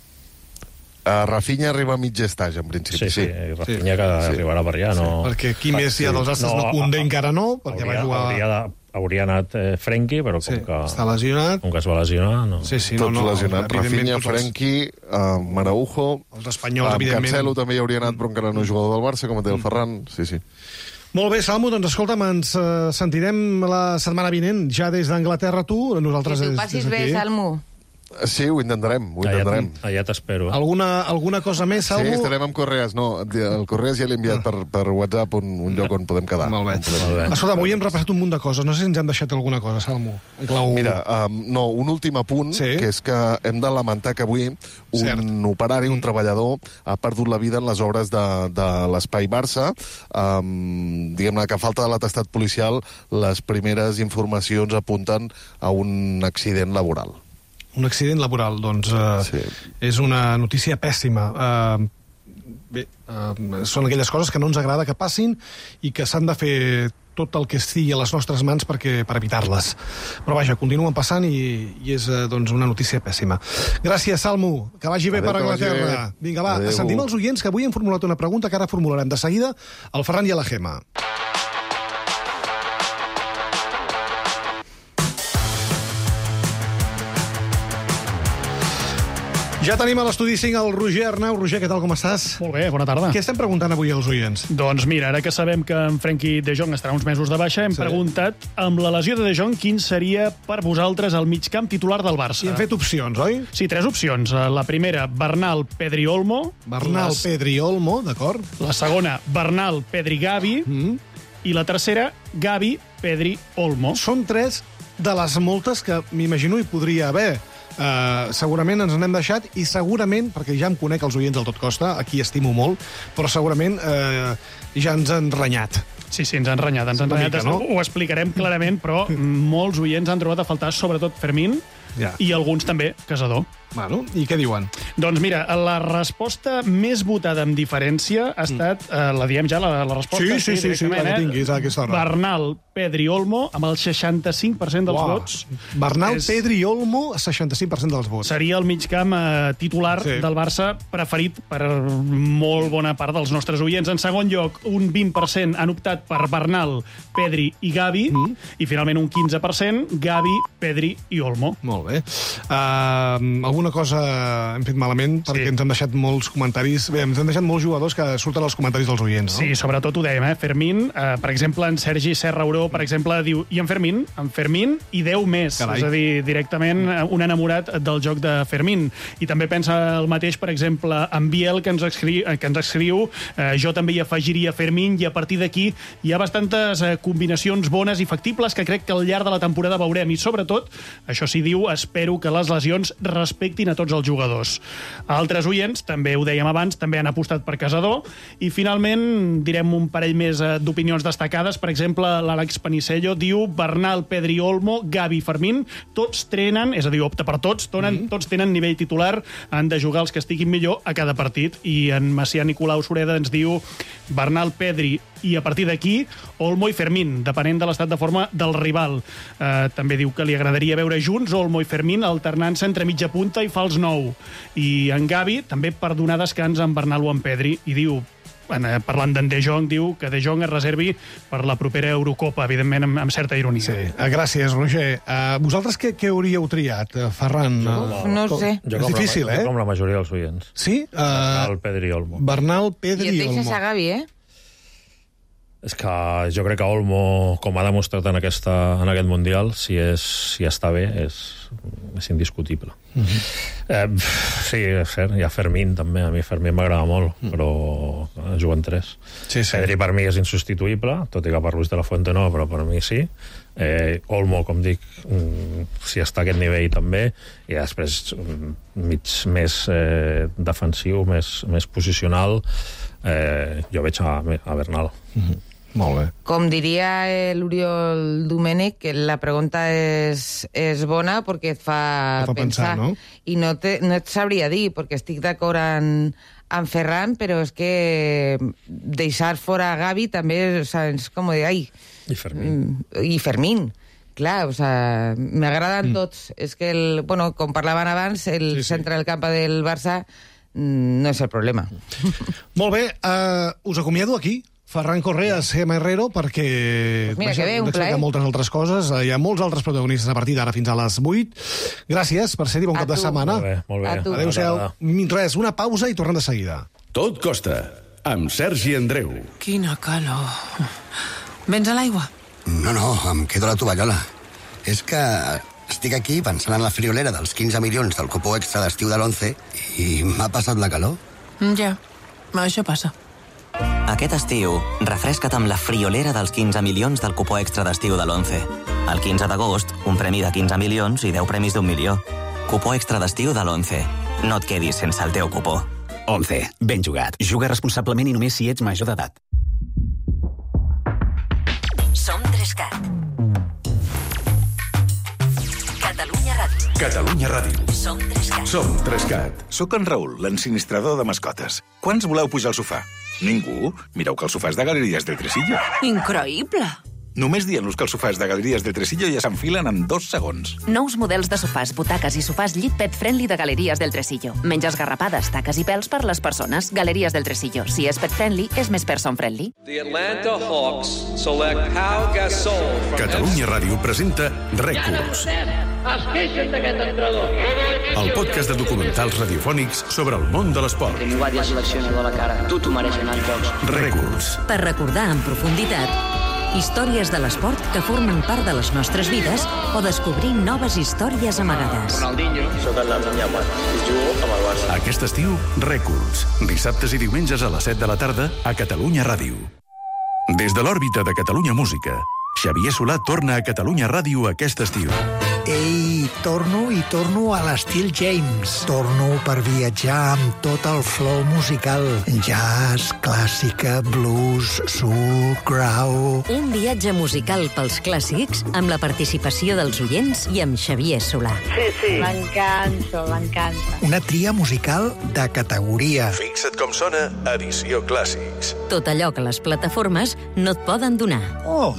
Rafinha arriba a mig estatge, en principi. Sí, Rafinha que arribarà per allà, no... Perquè qui més hi ha dels astres no Koundé encara no, perquè va jugar... Hauria anat Frenkie, però com que... Està lesionat. Com que es va lesionar, no. Tots lesionats. Rafinha, Frenkie, Araujo... Els espanyols, evidentment. Cancelo també hi hauria anat, però encara no és jugador del Barça, com el Ferran. Sí. Molt bé, Salmo, doncs escolta'm, ens sentirem la setmana vinent, ja des d'Anglaterra tu, nosaltres que tu passis bé, Salmo. Sí, ho intentarem. Allà t'espero. Alguna cosa més, Salmo? Sí, estarem amb Correas. No, el Correas ja l'he enviat per WhatsApp un lloc on podem quedar. Molt bé. Escolta, avui hem repassat un munt de coses. No sé si ens han deixat alguna cosa, Salmo. Mira, un últim apunt, que és que hem de lamentar que avui un operari, un treballador, ha perdut la vida en les obres de l'Espai Barça. Diguem-ne que a falta de l'atestat policial, les primeres informacions apunten a un accident laboral. Un accident laboral, doncs és una notícia pèssima. Són aquelles coses que no ens agrada que passin i que s'han de fer tot el que estigui a les nostres mans per evitar-les. Però vaja, continuen passant i és doncs, una notícia pèssima. Gràcies, Salmo. Que vagi bé per Anglaterra. Vinga, va, sentim els oients, que avui hem formulat una pregunta que ara formularem de seguida al Ferran i a la Gemma. Ja tenim a l'estudi 5 el Roger Arnau. Roger, què tal, com estàs? Molt bé, bona tarda. Què estem preguntant avui als oients? Doncs mira, ara que sabem que en Frenkie de Jong estarà uns mesos de baixa, hem preguntat, amb la lesió de De Jong, quin seria per vosaltres el migcamp titular del Barça? I hem fet opcions, oi? Sí, 3 opcions. La primera, Bernal, Pedri, Olmo. Bernal, Pedri, Olmo, d'acord? La segona, Bernal, Pedri, Gavi. I la tercera, Gavi, Pedri, Olmo. Són 3 de les moltes que m'imagino hi podria haver. Segurament ens n'hem deixat i segurament, perquè ja em conec els oients del Tot Costa, aquí estimo molt, però segurament ja ens han renyat. Sí, ens han renyat. Mica, no? Ho explicarem clarament, però molts oients han trobat a faltar sobretot Fermín i alguns també Casador. Bueno, i què diuen? Doncs mira, la resposta més votada amb diferència ha estat, la diem ja, la resposta? Sí, la que tinguis a aquesta hora. Bernal, Pedri, Olmo, amb el 65% dels vots. Bernal, Pedri i Olmo, 65% dels vots. Seria el migcamp titular del Barça preferit per molt bona part dels nostres oients. En segon lloc, un 20% han optat per Bernal, Pedri i Gavi, i finalment un 15% Gavi, Pedri i Olmo. Molt bé. Alguna cosa hem fet malament, perquè ens han deixat molts comentaris. Bé, ens han deixat molts jugadors que surten als comentaris dels oients, no? Sí, sobretot ho dèiem, Fermín, per exemple, en Sergi Serrauró, per exemple, diu, i en Fermín? En Fermín i 10 més. Carai. És a dir, directament un enamorat del joc de Fermín. I també pensa el mateix, per exemple, en Biel, que ens escriu jo també hi afegiria Fermín, i a partir d'aquí hi ha bastantes combinacions bones i factibles que crec que al llarg de la temporada veurem. I sobretot, això sí diu, espero que les lesions respectin a tots els jugadors. Altres oients, també ho dèiem abans, també han apostat per Casador, i finalment direm un parell més d'opinions destacades. Per exemple, l'Àlex Panicello diu Bernal, Pedri, Olmo, Gavi, Fermín, tots trenen, és a dir, opta per tots, tots tenen nivell titular, han de jugar els que estiguin millor a cada partit. I en Macià Nicolau Sureda ens diu Bernal, Pedri, i a partir d'aquí Olmo i Fermín, depenent de l'estat de forma del rival. També diu que li agradaria veure junts Olmo i Fermín alternant-se entre mitja punta i fals 9. I en Gavi també per donar descans en Bernal o en Pedri, i diu, parlant d'en De Jong, diu que De Jong es reservi per la propera Eurocopa, evidentment amb certa ironia. Sí, gràcies, Roger. Vosaltres què hauríeu triat, Ferran? No ho sé. És difícil, Jo com la majoria dels oients. Sí? Bernal, Pedri i Olmo. Bernal, I Pedri et i deixes a Olmo. Gavi, És que jo crec que Olmo, com ha demostrat en aquest Mundial, si està bé, és indiscutible. Sí, és cert, hi ha Fermín també, a mi Fermín m'agrada molt, però juguen 3. Pedri per mi és insubstituïble, tot i que per Luis de la Fuente no, però per mi sí. Olmo, com dic, si està a aquest nivell també, i després mig més defensiu, més posicional, jo veig a Bernal. Molt bé. Com diria l'Oriol Domènech, que la pregunta és bona perquè et fa pensar, no? I no et sabria dir, perquè estic d'acord amb Ferran, però és que deixar fora Gavi també és com dir, ai... I Fermín. I Fermín. Clar, o sea, m'agraden tots. És que, com parlaven abans, el centre del camp del Barça no és el problema. Molt bé, us acomiado aquí. Ferran Correas, Gemma Herrero, perquè mira, que bé, un plaer. moltes altres coses. Hi ha molts altres protagonistes a partir d'ara fins a les 8. Gràcies per ser-hi, bon cap de setmana. Molt bé. Adéu-siau. Res, una pausa i tornem de seguida. Tot costa, amb Sergi Andreu. Quina calor. Vens a l'aigua? No, em quedo a la tovallola. És que estic aquí pensant en la friolera dels 15 milions del cupó extra d'estiu de l'11 i m'ha passat la calor. Ja, això passa. Aquest estiu, refresca't amb la friolera dels 15 milions del cupó extra d'estiu de l'11. El 15 d'agost, un premi de 15 milions i 10 premis d'1 milió. Cupó extra d'estiu de l'11. No et quedis sense el teu cupó. 11. Ben jugat. Juga responsablement i només si ets major d'edat. Som 3CAT. Catalunya Ràdio. Catalunya Ràdio. Som 3CAT. Som 3CAT. Soc en Raül, l'ensinistrador de mascotes. Quants voleu pujar al sofà? Ningú? Mireu que el sofà és de Galeries del Tresillo. Increïble. Només dient-los que els sofàs de Galeries del Tresillo ja s'enfilen en 2 segons. Nous models de sofàs, butaques i sofàs llit pet friendly de Galeries del Tresillo. Menys esgarrapades, taques i pèls per les persones. Galeries del Tresillo. Si és pet friendly, és més person friendly. The Atlanta Hawks select Pau Gasol from Catalunya Ràdio presenta Rècords, Es queixen d'aquest entrenador. el podcast de documentals radiofònics sobre el món de l'esport. Mi guàrdia seleccionador a la cara. Tu t'ho mereixes anar als jocs. Rècords. Per recordar en profunditat històries de l'esport que formen part de les nostres vides o descobrir noves històries amagades. Ronaldinho. Soc el Damià Mat. Jugo amb el Barça. Aquest estiu, Rècords. Dissabtes i diumenges a les 7 de la tarda a Catalunya Ràdio. Des de l'òrbita de Catalunya Música, Xavier Solà torna a Catalunya Ràdio aquest estiu. Ei, torno a l'estil James. Torno per viatjar amb tot el flow musical. Jazz, clàssica, blues, soul, grau... Un viatge musical pels clàssics amb la participació dels oients i amb Xavier Solà. Sí. M'encanta. Una tria musical de categoria. Fixa't com sona Edició Clàssics. Tot allò que les plataformes no et poden donar. Oh,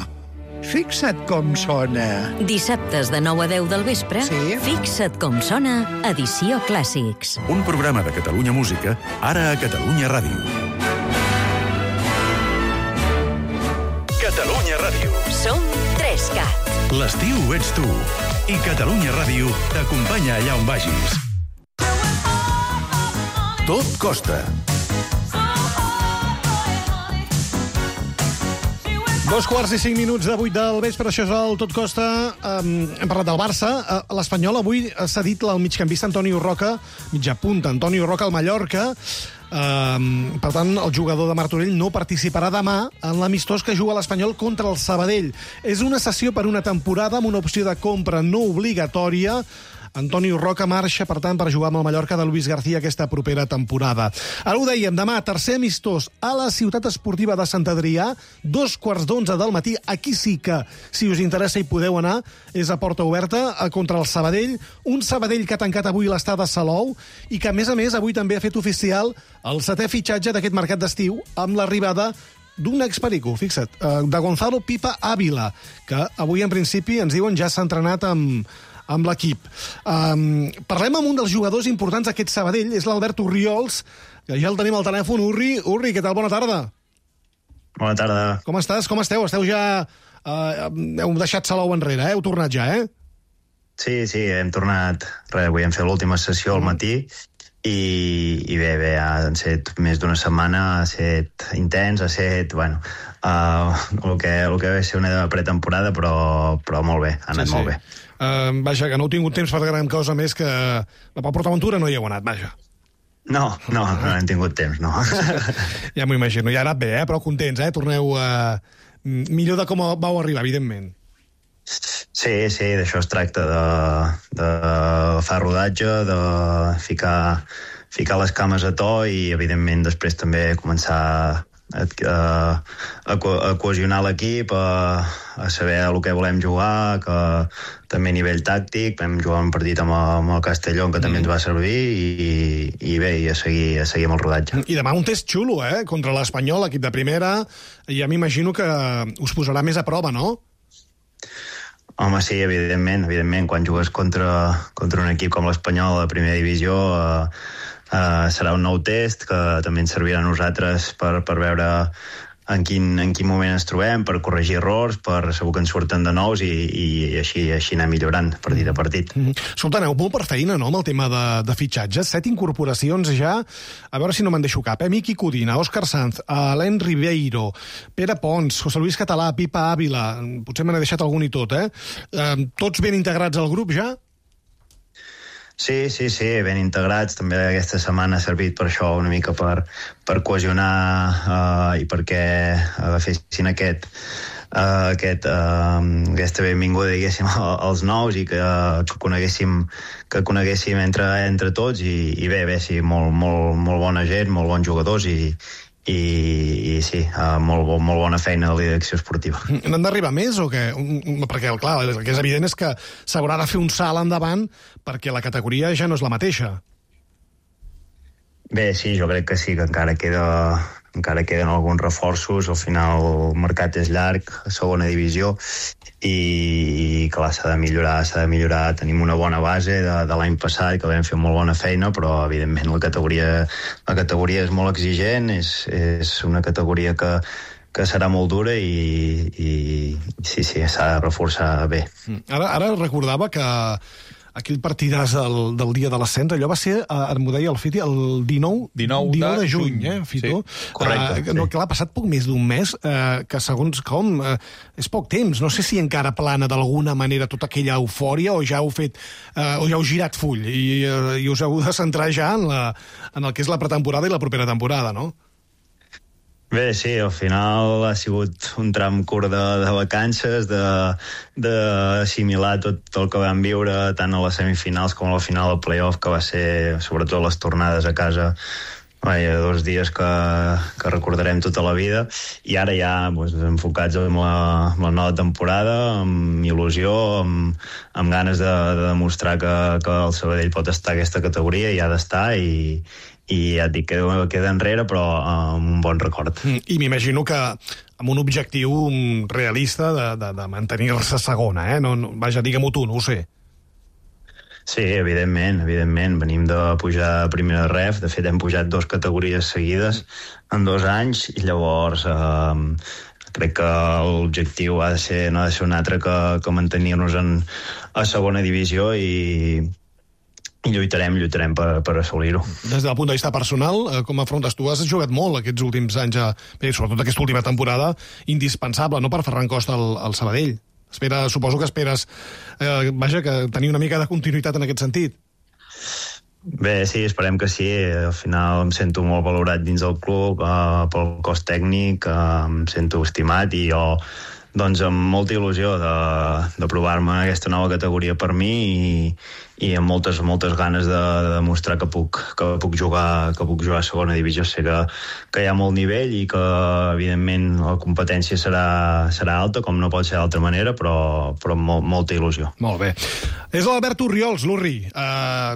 fixa't com sona. Dissabtes de 9 a 10 del vespre, Sí. Fixa't com sona, Edició Clàssics. Un programa de Catalunya Música, ara a Catalunya Ràdio. Catalunya Ràdio. Som 3CAT. L'estiu ets tu. I Catalunya Ràdio t'acompanya allà on vagis. Tot costa. 2:05 de 8 del vespre, això és el Tot Costa. Hem parlat del Barça. L'Espanyol avui ha cedit el migcampista Antonio Roca, mitja punta, Antonio Roca al Mallorca. Per tant, el jugador de Martorell no participarà demà en l'amistós que juga l'Espanyol contra el Sabadell. És una cessió per una temporada amb una opció de compra no obligatòria. Antonio Roca marxa, per tant, per jugar amb el Mallorca de Luis García aquesta propera temporada. Ara ho dèiem, demà, tercer amistós a la Ciutat Esportiva de Sant Adrià, 2:15 del matí. Aquí sí que, si us interessa, hi podeu anar. És a porta oberta contra el Sabadell. Un Sabadell que ha tancat avui l'estada a Salou i que, a més, avui també ha fet oficial el 7è fitxatge d'aquest mercat d'estiu amb l'arribada d'un experico, fixa't, de Gonzalo Pipa Ávila, que avui, en principi, ens diuen ja s'ha entrenat amb l'equip. Parlem amb un dels jugadors importants d'aquest Sabadell, és l'Albert Orriols, que ja el tenim al telèfon. Urri, què tal? Bona tarda. Bona tarda. Com estàs? Com esteu? Esteu ja... heu deixat Salou enrere, heu tornat ja, eh? Sí, hem tornat. Avui hem fet l'última sessió al matí i bé, han set més d'una setmana, ha set intens, ha set, bueno, el que va ser una pretemporada, però molt bé, ha anat molt bé. Vaja, que no heu tingut temps per gran cosa més que... Per PortAventura no hi heu anat, vaja. No hem tingut temps, no. Ja m'ho imagino, ja ha anat bé, però contents, Torneu millor de com vau arribar, evidentment. Sí, d'això es tracta, de fer rodatge, de ficar les cames a to i, evidentment, després també començar a cohesionar l'equip, a saber el que volem jugar, que també a nivell tàctic vam jugar un partit amb el Castelló, que també ens va servir, i bé, a seguir amb el rodatge. I demà un test xulo, contra l'Espanyol, l'equip de primera, ja m'imagino que us posarà més a prova, no? Home, sí, evidentment, quan jugues contra un equip com l'Espanyol a la primera divisió, serà un nou test que també ens servirà a nosaltres per veure en quin moment ens trobem, per corregir errors, segur que ens surten de nous i així anar millorant partit a partit. Escolta, aneu molt per feina, no?, amb el tema de fitxatges. 7 incorporacions ja, a veure si no me'n deixo cap, Miqui Codina, Òscar Sanz, Alain Ribeiro, Pere Pons, José Luis Català, Pipa Ávila, potser me n'he deixat algun i tot, Tots ben integrats al grup ja? Sí, ben integrats. També aquesta setmana ha servit per això, una mica per cohesionar i perquè fessin aquesta benvinguda, diguéssim, als nous i que coneguéssim entre tots i bé, sí, molt bona gent, molt bons jugadors i sí, molt bona feina de la direcció esportiva. N'han d'arribar més o què? Perquè, clar, el que és evident és que s'haurà de fer un salt endavant perquè la categoria ja no és la mateixa. Bé, sí, jo crec que sí, que encara queda encara queden alguns reforços, al final el mercat és llarg, a segona divisió, i clar, s'ha de millorar. Tenim una bona base de l'any passat, que vam fer molt bona feina, però evidentment la categoria és molt exigent, és una categoria que serà molt dura i sí, s'ha de reforçar bé. Ara recordava que aquell partidàs del dia de l'ascens, allò va ser, m'ho deia el Fiti, el 19 de juny, Fito? Sí, correcte. No, clar, ha passat poc més d'un mes, que segons com, és poc temps. No sé si encara plana d'alguna manera tota aquella eufòria o ja heu girat full i us heu de centrar ja en el que és la pretemporada i la propera temporada, no? Bé, sí, al final ha sigut un tram curt de vacances, d'assimilar tot el que vam viure tant a les semifinals com a la final del playoff, que va ser, sobretot les tornades a casa, 2 dies que recordarem tota la vida, i ara ja enfocats en la nova temporada, amb il·lusió, amb ganes de demostrar que el Sabadell pot estar a aquesta categoria i ha d'estar, i ja et dic, queda enrere, però amb un bon record. I m'imagino que amb un objectiu realista de mantenir-se segona, Vaja, digue-m'ho tu, no ho sé. Sí, evidentment. Venim de pujar a primera ref, de fet hem pujat 2 categories seguides en 2 anys, i llavors crec que l'objectiu no ha de ser un altre que mantenir-nos a segona divisió i lluitarem per assolir-ho. Des del punt de vista personal, com afrontes tu? Has jugat molt aquests últims anys, sobretot aquesta última temporada, indispensable, no, per Ferran Costa al Sabadell. Suposo que esperes que tenir una mica de continuïtat en aquest sentit. Bé, sí, esperem que sí. Al final em sento molt valorat dins del club, pel cos tècnic, em sento estimat, i jo amb molta il·lusió de provar-me en aquesta nova categoria per mi, i amb moltes ganes de demostrar que puc jugar a segona divisió. Sé que hi ha molt nivell i que evidentment la competència serà alta, com no pot ser d'altra manera, però amb molta il·lusió. Molt bé. És l'Albert Orriols, l'Urri.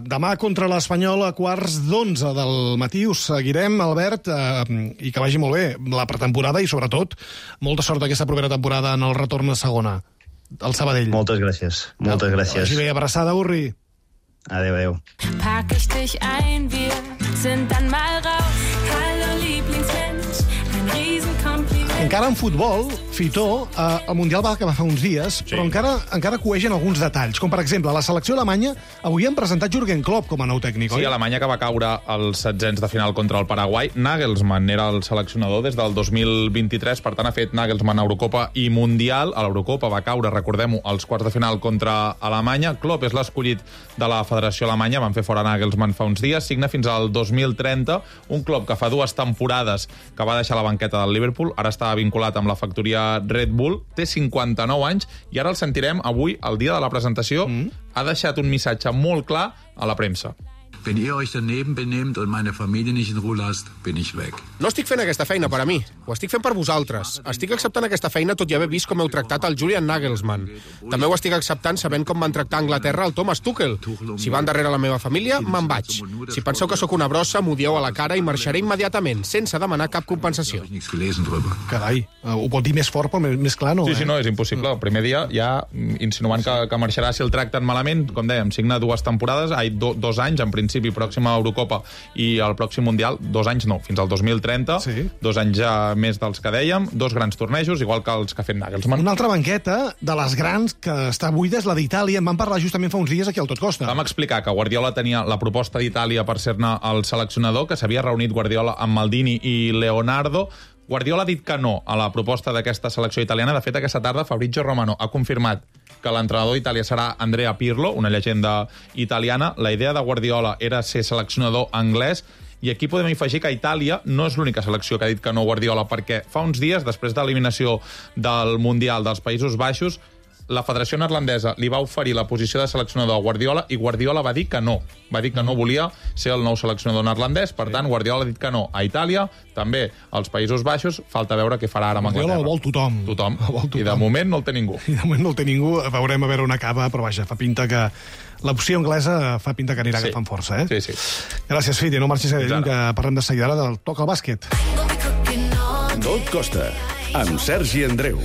Demà contra l'Espanyol a 11:15 del matí. Us seguirem, Albert, i que vagi molt bé la pretemporada i, sobretot, molta sort aquesta propera temporada en el retorn a segona, al Sabadell. Moltes gràcies. Vagi bé, abraçada, Urri. Adéu. Pack ich dich ein, wir sind dann mal raus. Hallo Lieblingsmensch, ein Riesenkompliment. Encara en futbol, Fitó, el Mundial va acabar fa uns dies, sí, però encara coegen alguns detalls, com per exemple, la selecció alemanya avui han presentat Jürgen Klopp com a nou tècnic, oi? Sí, Alemanya, que va caure als setzents de final contra el Paraguai. Nagelsmann era el seleccionador des del 2023, per tant ha fet Nagelsmann Eurocopa i Mundial. A l'Eurocopa va caure, recordem-ho, als quarts de final contra Alemanya. Klopp és l'escollit de la Federació Alemanya, van fer fora Nagelsmann fa uns dies, signa fins al 2030, un Klopp que fa 2 temporades que va deixar la banqueta del Liverpool, ara està vinculat amb la factoria Red Bull, té 59 anys, i ara el sentirem avui, el dia de la presentació, ha deixat un missatge molt clar a la premsa. Wenn ihr euch daneben benehmt und meine Familie nicht in Ruhe lasst, bin ich weg. No estic fent aquesta feina per a mi, ho estic fent per vosaltres. Estic acceptant aquesta feina tot i haver vist com heu tractat el Julian Nagelsmann. També ho estic acceptant sabent com van tractar a Anglaterra el Thomas Tuchel. Si van darrere la meva família, me'n vaig. Si penseu que sóc una brossa, m'ho dieu a la cara i marxaré immediatament, sense demanar cap compensació. Carai, ho pot dir més fort però més clar, no? Sí, no, és impossible. El primer dia ja insinuant que marxarà si el tracten malament. Com dèiem, signa 2 temporades, 2 anys, en principi, pròxima Eurocopa i el pròxim Mundial, 2 anys no, fins al 2030, sí. 2 anys ja més dels que dèiem, 2 grans tornejos, igual que els que ha fet Nagelsmann. Una altra banqueta de les grans que està buida és la d'Itàlia. En vam parlar justament fa uns dies aquí al Tot Costa. Vam explicar que Guardiola tenia la proposta d'Itàlia per ser-ne el seleccionador, que s'havia reunit Guardiola amb Maldini i Leonardo. Guardiola ha dit que no a la proposta d'aquesta selecció italiana. De fet, aquesta tarda Fabrizio Romano ha confirmat que l'entrenador d'Itàlia serà Andrea Pirlo, una llegenda italiana. La idea de Guardiola era ser seleccionador anglès, i aquí podem afegir que Itàlia no és l'única selecció que ha dit que no Guardiola, perquè fa uns dies, després de l'eliminació del Mundial dels Països Baixos, la Federació Neerlandesa li va oferir la posició de seleccionador a Guardiola i Guardiola va dir que no. Va dir que no volia ser el nou seleccionador neerlandès. Per tant, Guardiola ha dit que no a Itàlia, també als Països Baixos. Falta veure què farà ara amb Anglaterra. Guardiola el vol tothom. Tothom. I de moment no el té ningú. Veurem a veure on acaba, però vaja, fa pinta que l'opció anglesa fa pinta que anirà agafant força, Sí. Gràcies, Fiti. No marxis a que parlem de seguida del Toca al bàsquet. Tot costa, amb Sergi Andreu.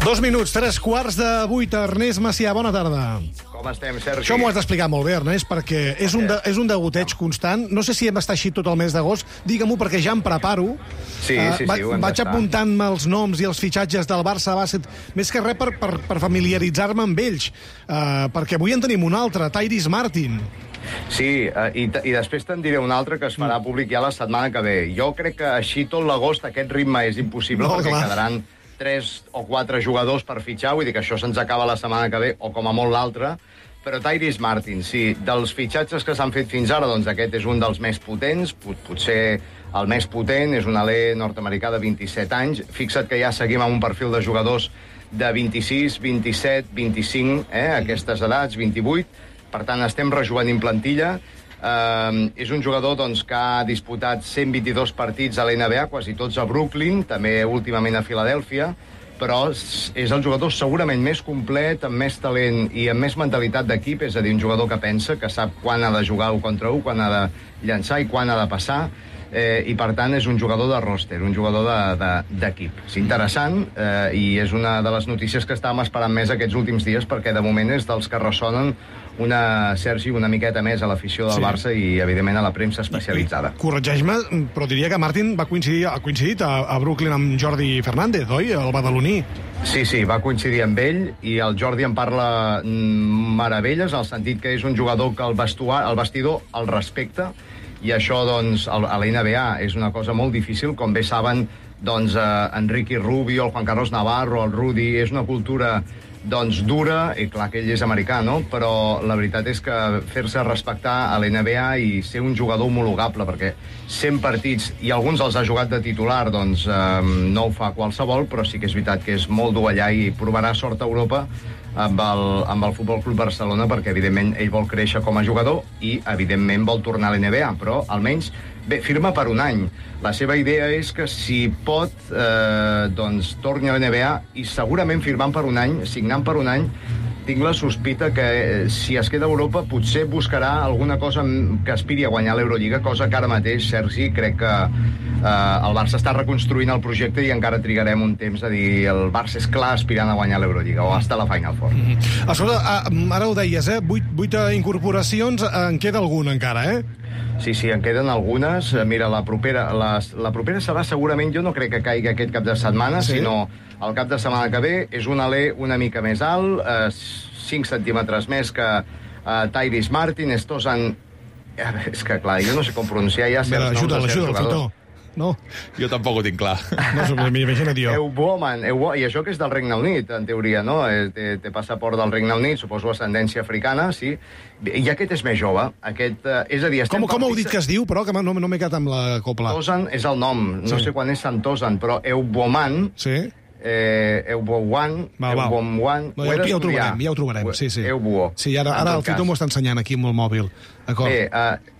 2 minuts, 3:15. Ernest Macià, bona tarda. Com estem, Sergi? Això m'ho has d'explicar molt bé, Ernest, perquè és un degoteig constant. No sé si hem d'estar així tot el mes d'agost. Digue-m'ho, perquè ja em preparo. Sí, ho hem Vaig d'estar. apuntant-me els noms i els fitxatges del Barça bàsquet, més que res per familiaritzar-me amb ells, perquè avui en tenim un altre, Tyrese Martin. Sí, i després te'n diré un altre que es farà públic ja la setmana que ve. Jo crec que així tot l'agost aquest ritme és impossible, perquè quedaran 3 o 4 jugadors per fitxar, vull dir que això se'ns acaba la setmana que ve, o com a molt l'altra, però Tyrese Martin, sí, dels fitxatges que s'han fet fins ara, doncs aquest és un dels més potents, potser el més potent, és un alè nord-americà de 27 anys. Fixa't que ja seguim amb un perfil de jugadors de 26, 27, 25, aquestes edats, 28, per tant estem rejovenint plantilla. És un jugador doncs, que ha disputat 122 partits a l'NBA, quasi tots a Brooklyn, també últimament a Filadèlfia, però és el jugador segurament més complet, amb més talent i amb més mentalitat d'equip, és a dir, un jugador que pensa, que sap quan ha de jugar 1 contra 1, quan ha de llançar i quan ha de passar, i per tant és un jugador de roster, un jugador d'equip. És interessant i és una de les notícies que estàvem esperant més aquests últims dies, perquè de moment és dels que ressonen Sergi, una miqueta més a l'afició del Barça i, evidentment, a la premsa especialitzada. Corregeix-me, però diria que Martin ha coincidit a Brooklyn amb Jordi Fernández, oi? El badaloní. Sí, va coincidir amb ell i el Jordi en parla meravelles, en el sentit que és un jugador que el vestidor el respecta, i això, doncs, a la NBA és una cosa molt difícil, com bé saben, doncs, Enrique Rubio, el Juan Carlos Navarro, el Rudy, és una cultura doncs dura, i clar que ell és americà, no? Però la veritat és que fer-se respectar a l'NBA i ser un jugador homologable, perquè 100 partits, i alguns els ha jugat de titular, doncs no ho fa qualsevol, però sí que és veritat que és molt dur allà i provarà sort a Europa amb el Futbol Club Barcelona, perquè evidentment ell vol créixer com a jugador i evidentment vol tornar a l'NBA, però almenys firma per un any. La seva idea és que si pot doncs torni a l'NBA i segurament firmant per un any, signant per un any, tinc la sospita que si es queda a Europa potser buscarà alguna cosa que aspiri a guanyar l'Eurolliga, cosa que ara mateix, Sergi, crec que el Barça està reconstruint el projecte i encara trigarem un temps a dir el Barça és clar aspirant a guanyar l'Eurolliga o hasta la Final Four. Escolta, ara ho deies, 8 incorporacions, en queda alguna encara, Sí, en queden algunes. Mira, la propera serà segurament, jo no crec que caigui aquest cap de setmana, sinó el cap de setmana que ve. És un alè una mica més alt, 5 centímetres més que Tyrese Martin. És que, clar, jo no sé com pronunciar ja certs noms de certs jugadors. No. Jo tampoc ho tinc clar. No, m'imagina't jo. Euboman, i això que és del Regne Unit, en teoria, no? Té passaport del Regne Unit, suposo ascendència africana, sí. I aquest és més jove. És a dir, com heu dit que es diu, però, que no m'he quedat amb la copla? Tosan és el nom, no sé quan és Sant Tosan, però Euboman... Sí. Eubowan, ja ho trobarem, sí. Eubuo. Sí, ara el Fito m'ho està ensenyant aquí amb el mòbil. Bé,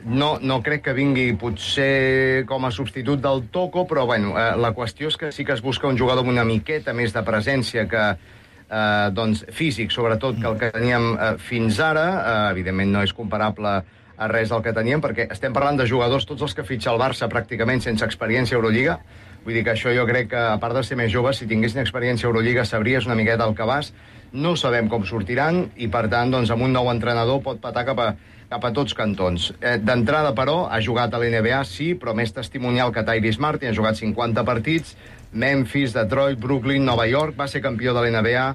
no crec que vingui potser com a substitut del Toco, però bueno, la qüestió és que sí que es busca un jugador amb una miqueta més de presència que doncs físic, sobretot, que el que teníem fins ara. Evidentment no és comparable a res del que teníem, perquè estem parlant de jugadors, tots els que fitxa el Barça pràcticament sense experiència a Eurolliga. Vull dir que això jo crec que, a part de ser més joves, si tinguessin experiència a Eurolliga sabries una miqueta el que vas. No sabem com sortiran i, per tant, doncs, amb un nou entrenador pot patar cap a tots cantons. D'entrada, però, ha jugat a l'NBA, sí, però més testimonial que Tyrese Martin. Ha jugat 50 partits, Memphis, Detroit, Brooklyn, Nova York, va ser campió de l'NBA,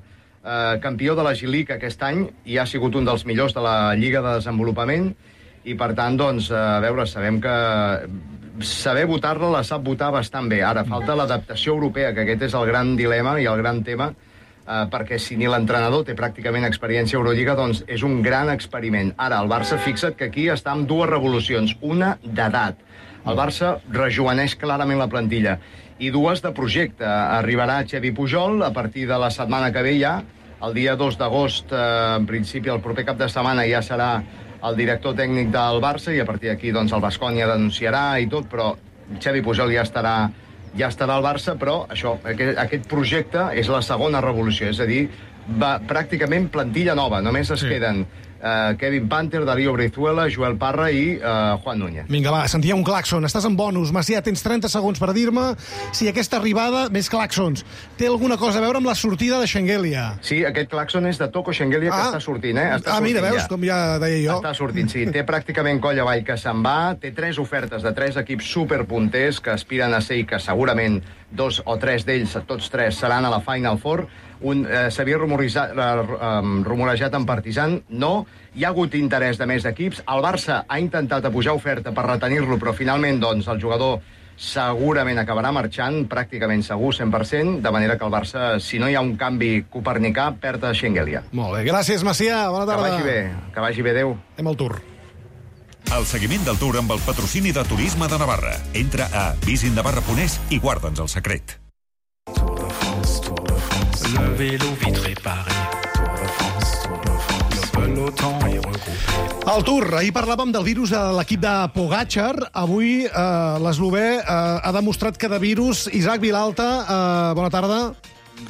campió de la G-League aquest any i ha sigut un dels millors de la Lliga de Desenvolupament i, per tant, doncs, a veure, sabem que saber votar-la la sap votar bastant bé. Ara falta l'adaptació europea, que aquest és el gran dilema i el gran tema, perquè si ni l'entrenador té pràcticament experiència a Eurolliga, doncs és un gran experiment. Ara, el Barça, fixa't que aquí està amb 2 revolucions, una d'edat. El Barça rejoveneix clarament la plantilla i 2 de projecte. Arribarà Xavi Pujol a partir de la setmana que ve ja, el dia 2 d'agost, en principi el proper cap de setmana ja serà el director tècnic del Barça i a partir d'aquí doncs, el Baskonia denunciarà i tot, però Xavi Pujol ja estarà al Barça, però això, aquest projecte és la segona revolució, és a dir, pràcticament plantilla nova, només es queden Kevin Panther, Darío Brizuela, Joel Parra i Juan Núñez. Vinga, va, sentia un claxon. Estàs en bonus. Macià, tens 30 segons per dir-me si aquesta arribada, més claxons, té alguna cosa a veure amb la sortida de Schengelia. Sí, aquest claxon és de Toko Schengelia, que està sortint, Està sortint, mira, veus, com ja deia jo. Està sortint, sí. Té pràcticament coll avall que se'n va. Té 3 ofertes de 3 equips superpunters que aspiren a ser i que segurament 2 o 3 d'ells, tots 3, seran a la Final Four. S'havia rumorejat en Partizan, no. Hi ha hagut interès de més equips. El Barça ha intentat apujar oferta per retenir-lo, però finalment doncs, el jugador segurament acabarà marxant, pràcticament segur, 100%, de manera que el Barça, si no hi ha un canvi copernicà, perd a Schengelia. Molt bé, gràcies, Macià. Bona tarda. Que vagi bé, adéu. Anem al Tour. El seguiment del Tour amb el patrocini de Turisme de Navarra. Entra a visitnavarra.es i guarda'ns el secret. Le vélo vite réparé. Tour de France, le peloton est regroupé. Al Tour, ahir parlàvem del virus de l'equip de Pogačar. Avui l'eslovè ha demostrat que de virus... Isaac Vilalta, bona tarda.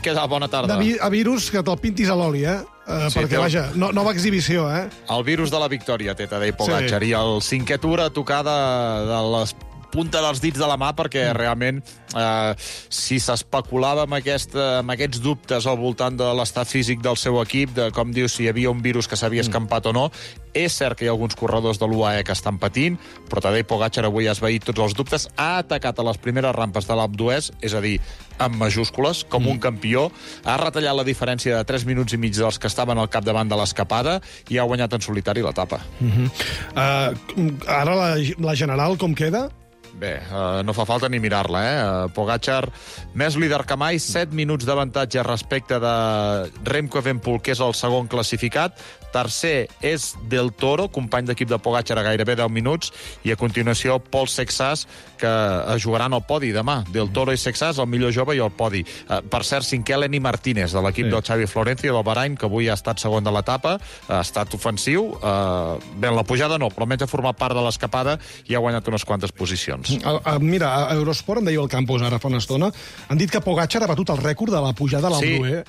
Què tal? Bona tarda. A virus que te'l pintis a l'oli, Sí, perquè, vaja, nova exhibició, El virus de la victòria té Tadej Pogačar, Sí. i el 5è Tour a tocar de les punta dels dits de la mà, perquè realment si s'especulava amb aquests dubtes al voltant de l'estat físic del seu equip, de com dius, si hi havia un virus que s'havia escampat o no, és cert que hi ha alguns corredors de l'UAE que estan patint, però Tadej Pogačar avui ha esvaït tots els dubtes, ha atacat a les primeres rampes de l'Alpe d'Huez, és a dir, amb majúscules, com un campió, ha retallat la diferència de 3 minuts i mig dels que estaven al capdavant de l'escapada i ha guanyat en solitari l'etapa. Ara la general com queda? Bé, no fa falta ni mirar-la, Pogačar, més líder que mai, 7 minuts d'avantatge respecte de Remco Evenepoel, que és el segon classificat. Tercer és Del Toro, company d'equip de Pogačar a gairebé 10 minuts, i a continuació Pol Sexas, que jugaran al podi demà. Del Toro i Sexas, el millor jove i el podi. Per cert, cinquè Lenny Martínez, de l'equip del Xavi Florencio, del Bahrain, que avui ha estat segon de l'etapa, ha estat ofensiu. Bé, en la pujada no, però almenys ha format part de l'escapada i ha guanyat unes quantes posicions. Mira, a Eurosport, em deia el Campos ara fa una estona, han dit que Pogačar ha batut el rècord de la pujada a l'Alpe d'Huez.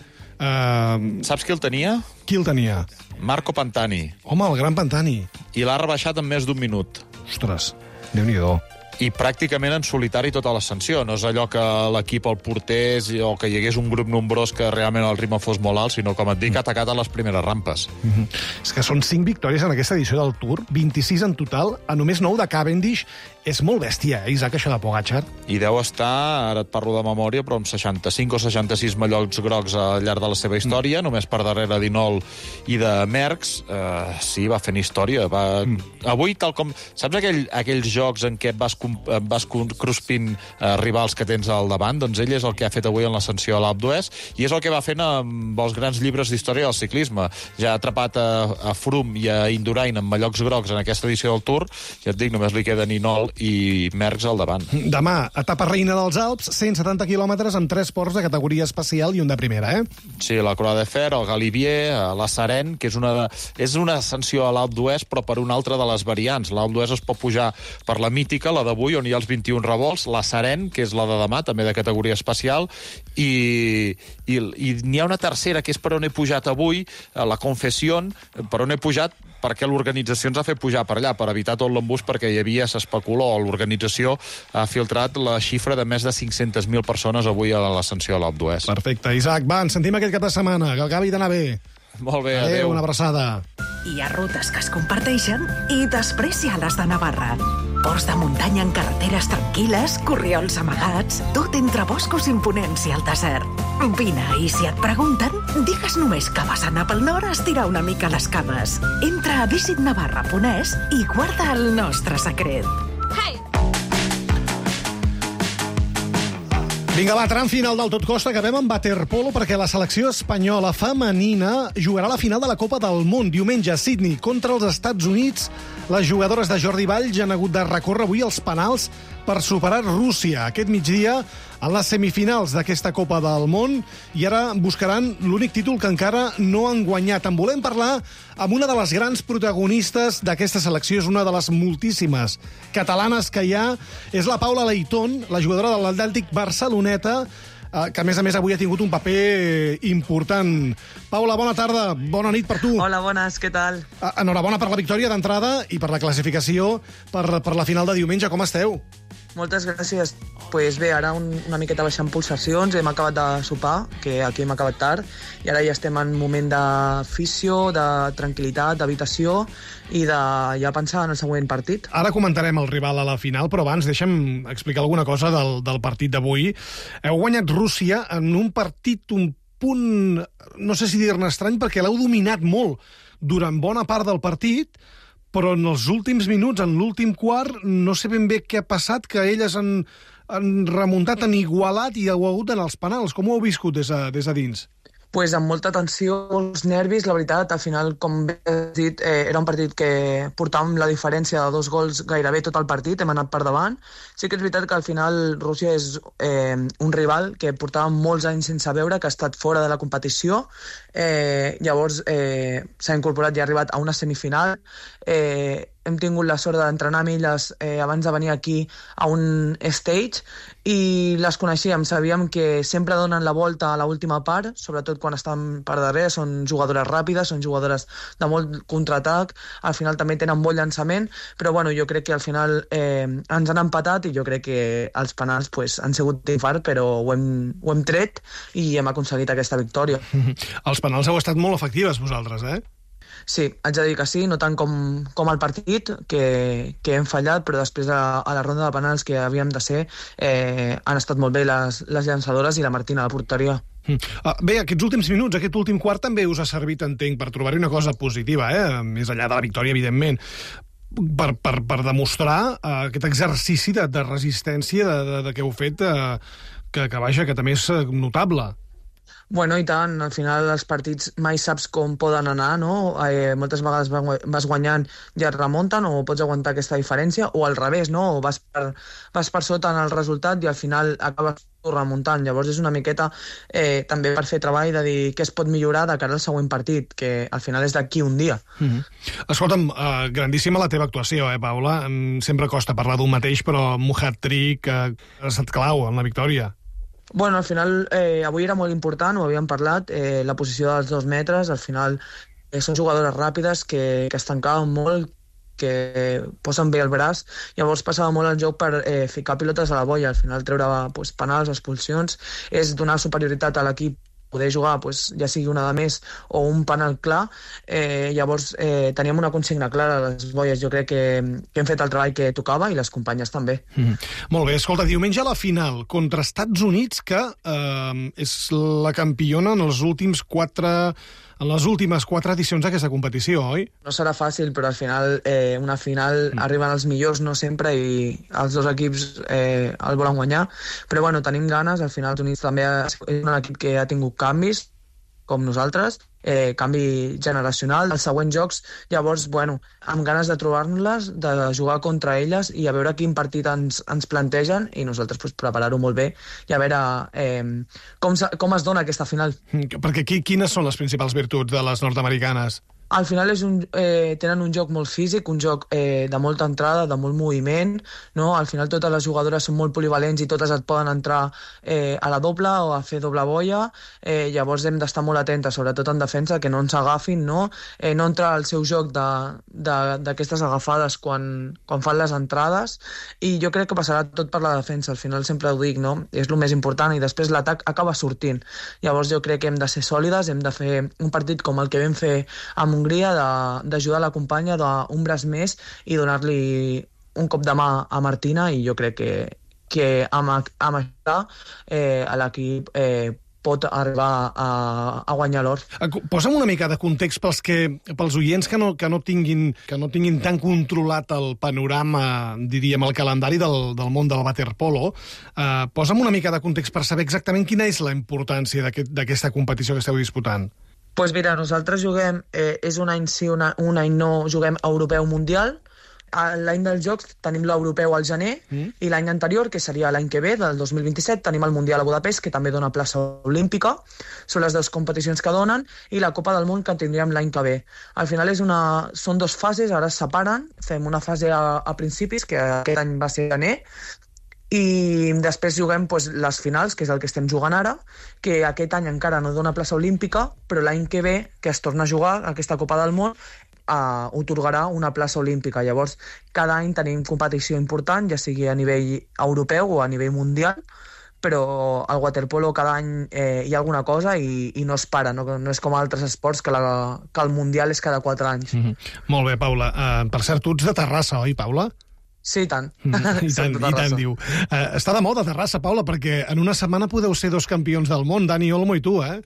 Saps qui el tenia? Qui el tenia? Marco Pantani. Home, el gran Pantani. I l'ha rebaixat en més d'un minut. Ostres, Déu-n'hi-do. I pràcticament en solitari tota l'ascensió. No és allò que l'equip el portés o que hi hagués un grup nombrós que realment el ritme fos molt alt, sinó, com et dic, ha atacat a les primeres rampes. És que són 5 victòries en aquesta edició del Tour, 26 en total, a només 9 de Cavendish. És molt bèstia, Isaac, això de Pogačar. I deu estar, ara et parlo de memòria, però amb 65 o 66 mallots grocs al llarg de la seva història, només per darrere d'Inol i de Merckx. Sí, va fent història. Avui, tal com... Saps aquells jocs en què vas cruspint rivals que tens al davant? Doncs ell és el que ha fet avui en l'ascensió a l'Alpe d'Huez, i és el que va fent amb els grans llibres d'història del ciclisme. Ja ha atrapat a Froome i a Indurain amb mallots grocs en aquesta edició del Tour, ja et dic, només li queden Inol i Merckx al davant. Demà, etapa reina dels Alps, 170 quilòmetres amb 3 ports de categoria especial i un de primera, Sí, la Croix de Fer, el Galibier, la Sarenne, que és una ascensió a l'Alpe d'Huez, però per una altra de les variants. L'Alpe d'Huez es pot pujar per la mítica, la d'avui, on hi ha els 21 revolts, la Sarenne, que és la de demà, també de categoria especial, i n'hi ha una tercera, que és per on he pujat avui, la Confession, per on he pujat perquè l'organització ens ha fet pujar per allà, per evitar tot l'embús, perquè hi havia, s'especuló, l'organització ha filtrat la xifra de més de 500.000 persones avui a l'ascensió a l'Alpe d'Huez. Perfecte. Isaac, va, ens sentim aquest cap de setmana, que acabi d'anar bé. Molt bé, adéu. Una abraçada. Hi ha rutes que es comparteixen i després hi ha les de Navarra. Ports de muntanya en carreteres tranquil·les, corriols amagats, tot entre boscos imponents i el desert. Vine, i si et pregunten, digues només que vas anar pel nord a estirar una mica les cames. Entra a visitnavarra.es i guarda el nostre secret. Vinga, va, tram final del Tot Costa. Acabem amb waterpolo perquè la selecció espanyola femenina jugarà la final de la Copa del Món diumenge a Sydney contra els Estats Units. Les jugadores de Jordi Valls han hagut de recórrer avui els penals per superar Rússia aquest migdia en les semifinals d'aquesta Copa del Món, i ara buscaran l'únic títol que encara no han guanyat. En volem parlar amb una de les grans protagonistes d'aquesta selecció, és una de les moltíssimes catalanes que hi ha, és la Paula Leitón, la jugadora de l'Atlètic Barceloneta. que a més avui ha tingut un paper important. Paula, bona tarda, bona nit per tu. Hola, bones, què tal? Enhorabona per la victòria d'entrada i per la classificació per la final de diumenge. Com esteu? Moltes gràcies. Pues bé, ara una miqueta baixant pulsacions, hem acabat de sopar, que aquí hem acabat tard, i ara ja estem en un moment d'afició, de tranquil·litat, d'habitació i de ja pensar en el següent partit. Ara comentarem el rival a la final, però abans deixa'm explicar alguna cosa del partit d'avui. Heu guanyat Rússia en un partit un punt, no sé si dir-ne estrany, perquè l'heu dominat molt durant bona part del partit, però en els últims minuts, en l'últim quart, no sé ben bé què ha passat, que elles han remuntat, han igualat i heu hagut d'anar als penals. Com ho heu viscut des de dins? Pues amb molta tensió, molts nervis, la veritat, al final, com bé has dit, era un partit que portàvem la diferència de 2 gols gairebé tot el partit, hem anat per davant. Sí que és veritat que al final Rússia és un rival que portàvem molts anys sense veure, que ha estat fora de la competició, llavors s'ha incorporat i ha arribat a una semifinal. Hem tingut la sort d'entrenar amb elles abans de venir aquí a un stage i les coneixíem, sabíem que sempre donen la volta a l'última part, sobretot quan estan per darrere, són jugadores ràpides, són jugadores de molt contraatac, al final també tenen molt llançament, però bueno, jo crec que al final ens han empatat i jo crec que els penals pues, han sigut infart, però ho hem tret i hem aconseguit aquesta victòria. Els penals heu estat molt efectives vosaltres, eh? Sí, haig de dir que sí, no tant com el partit, que hem fallat, però després a la ronda de penals que havíem de ser han estat molt bé les llançadores i la Martina a la porteria. Bé, aquests últims minuts, aquest últim quart també us ha servit, entenc, per trobar-hi una cosa positiva, més enllà de la victòria, evidentment, per demostrar aquest exercici de resistència que heu fet, que també és notable. Bueno, i tant, al final els partits mai saps com poden anar, no? Moltes vegades vas guanyant i et remunten o pots aguantar aquesta diferència, o al revés, no? O vas per sota en el resultat i al final acabes remuntant. Llavors és una miqueta també per fer treball de dir què es pot millorar de cara al següent partit, que al final és d'aquí un dia. Escolta'm, grandíssima la teva actuació, Paula? Sempre costa parlar d'un mateix, però un hat-trick ha estat clau en la victòria. Bueno, al final, avui era molt important, ho havíem parlat, la posició dels 2 metres, al final són jugadores ràpides que es tancaven molt, que posen bé el braç, llavors passava molt el joc per ficar pilotes a la boia, al final treure penals, expulsions, és donar superioritat a l'equip, poder jugar, ja sigui una de més o un penal clar, llavors teníem una consigna clara a les boies, jo crec que hem fet el treball que tocava i les companyes també. Molt bé, escolta, diumenge a la final contra Estats Units, que és la campiona en les últimes 4 edicions d'aquesta competició, oi? No serà fàcil, però al final una final arriben els millors, no sempre, i els 2 equips el volen guanyar, però bueno, tenim ganes, al final els Units també és un equip que ha tingut canvis, com nosaltres, canvi generacional als següents jocs, llavors, bueno, amb ganes de trobar-nos-les, de jugar contra elles i a veure quin partit ens plantegen i nosaltres preparar-ho molt bé i a veure com es dona aquesta final. Perquè quines són les principals virtuts de les nord-americanes? Al final tenen un joc molt físic, un joc de molta entrada, de molt moviment, no? Al final totes les jugadores són molt polivalents i totes et poden entrar a la doble o a fer doble boia, llavors hem d'estar molt atentes, sobretot en defensa, que no ens agafin, no entrar al seu joc d'aquestes agafades quan fan les entrades, i jo crec que passarà tot per la defensa, al final sempre ho dic, no? És el més important, i després l'atac acaba sortint. Llavors jo crec que hem de ser sòlides, hem de fer un partit com el que vam fer amb Hongria, d'ajudar la companya d'un braç més i donar-li un cop de mà a Martina, i jo crec que amb això l'equip pot arribar a guanyar l'or. Posa'm una mica de context pels oients que no tinguin tan controlat el panorama, diríem, el calendari del món del waterpolo. Posa'm una mica de context per saber exactament quina és la importància d'aquesta competició que esteu disputant. Pues mira, nosaltres juguem, és un any sí, un any no, juguem europeu mundial. L'any dels Jocs tenim l'europeu al gener i l'any anterior, que seria l'any que ve, del 2027, tenim el Mundial a Budapest, que també dona plaça olímpica. Són les 2 competicions que donen, i la Copa del Món que tindríem l'any que ve. Al final són 2 fases, ara es separen. Fem una fase a principis, que aquest any va ser gener, I després juguem les finals, que és el que estem jugant ara, que aquest any encara no dona plaça olímpica, però l'any que ve, que es torna a jugar aquesta Copa del Món, otorgarà una plaça olímpica. Llavors, cada any tenim competició important, ja sigui a nivell europeu o a nivell mundial, però al waterpolo cada any hi ha alguna cosa i no es para, no és com altres esports que el mundial és cada 4 anys. Molt bé, Paula. Per cert, tu ets de Terrassa, oi, Paula? Sí, tant. I tant, diu. Està de moda Terrassa, Paula, perquè en una setmana podeu ser 2 campions del món, Dani Olmo i tu, eh?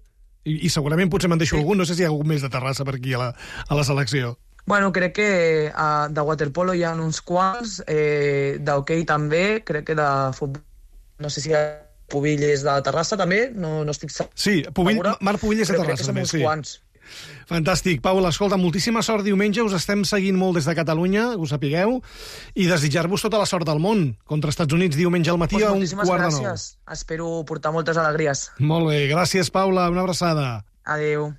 I segurament potser me'n deixo algun, no sé si hi ha algun més de Terrassa per aquí a la selecció. Bueno, crec que de waterpolo hi ha uns quants, d'hoquei també, crec que de futbol, no sé si hi ha Pubilles de Terrassa també, no estic segura. Sí, Marc Pubilles de Terrassa també, sí. Quants. Fantàstic. Paula, escolta, moltíssima sort diumenge, us estem seguint molt des de Catalunya, us sapigueu, i desitjar-vos tota la sort del món contra Estats Units diumenge al matí a 1:15. Moltíssimes gràcies. Espero portar moltes alegries. Molt bé, gràcies, Paula, una abraçada. Adéu.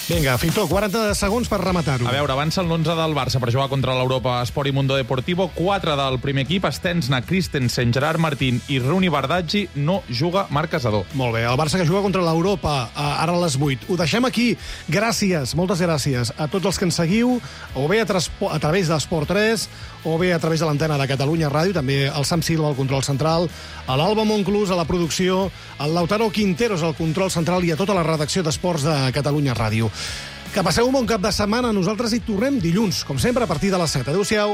Vinga, Fitó, 40 segons per rematar-ho. A veure, avança l'11 del Barça per jugar contra l'Europa Esport i Mundo Deportivo. 4 del primer equip, Stensna, Christensen, Gerard Martín i Rooney Bardghji. No juga Marc Casador. Molt bé, el Barça que juga contra l'Europa ara a les 8. Ho deixem aquí. Gràcies, moltes gràcies a tots els que ens seguiu, o bé a través d'Esport 3, o bé a través de l'antena de Catalunya Ràdio, també al Sam Silva al control central, a l'Alba Monclús a la producció, al Lautaro Quinteros al control central i a tota la redacció d'Esports de Catalunya Ràdio. Que passeu un bon cap de setmana. Nosaltres hi tornem dilluns, com sempre, a partir de les 7. Adéu-siau.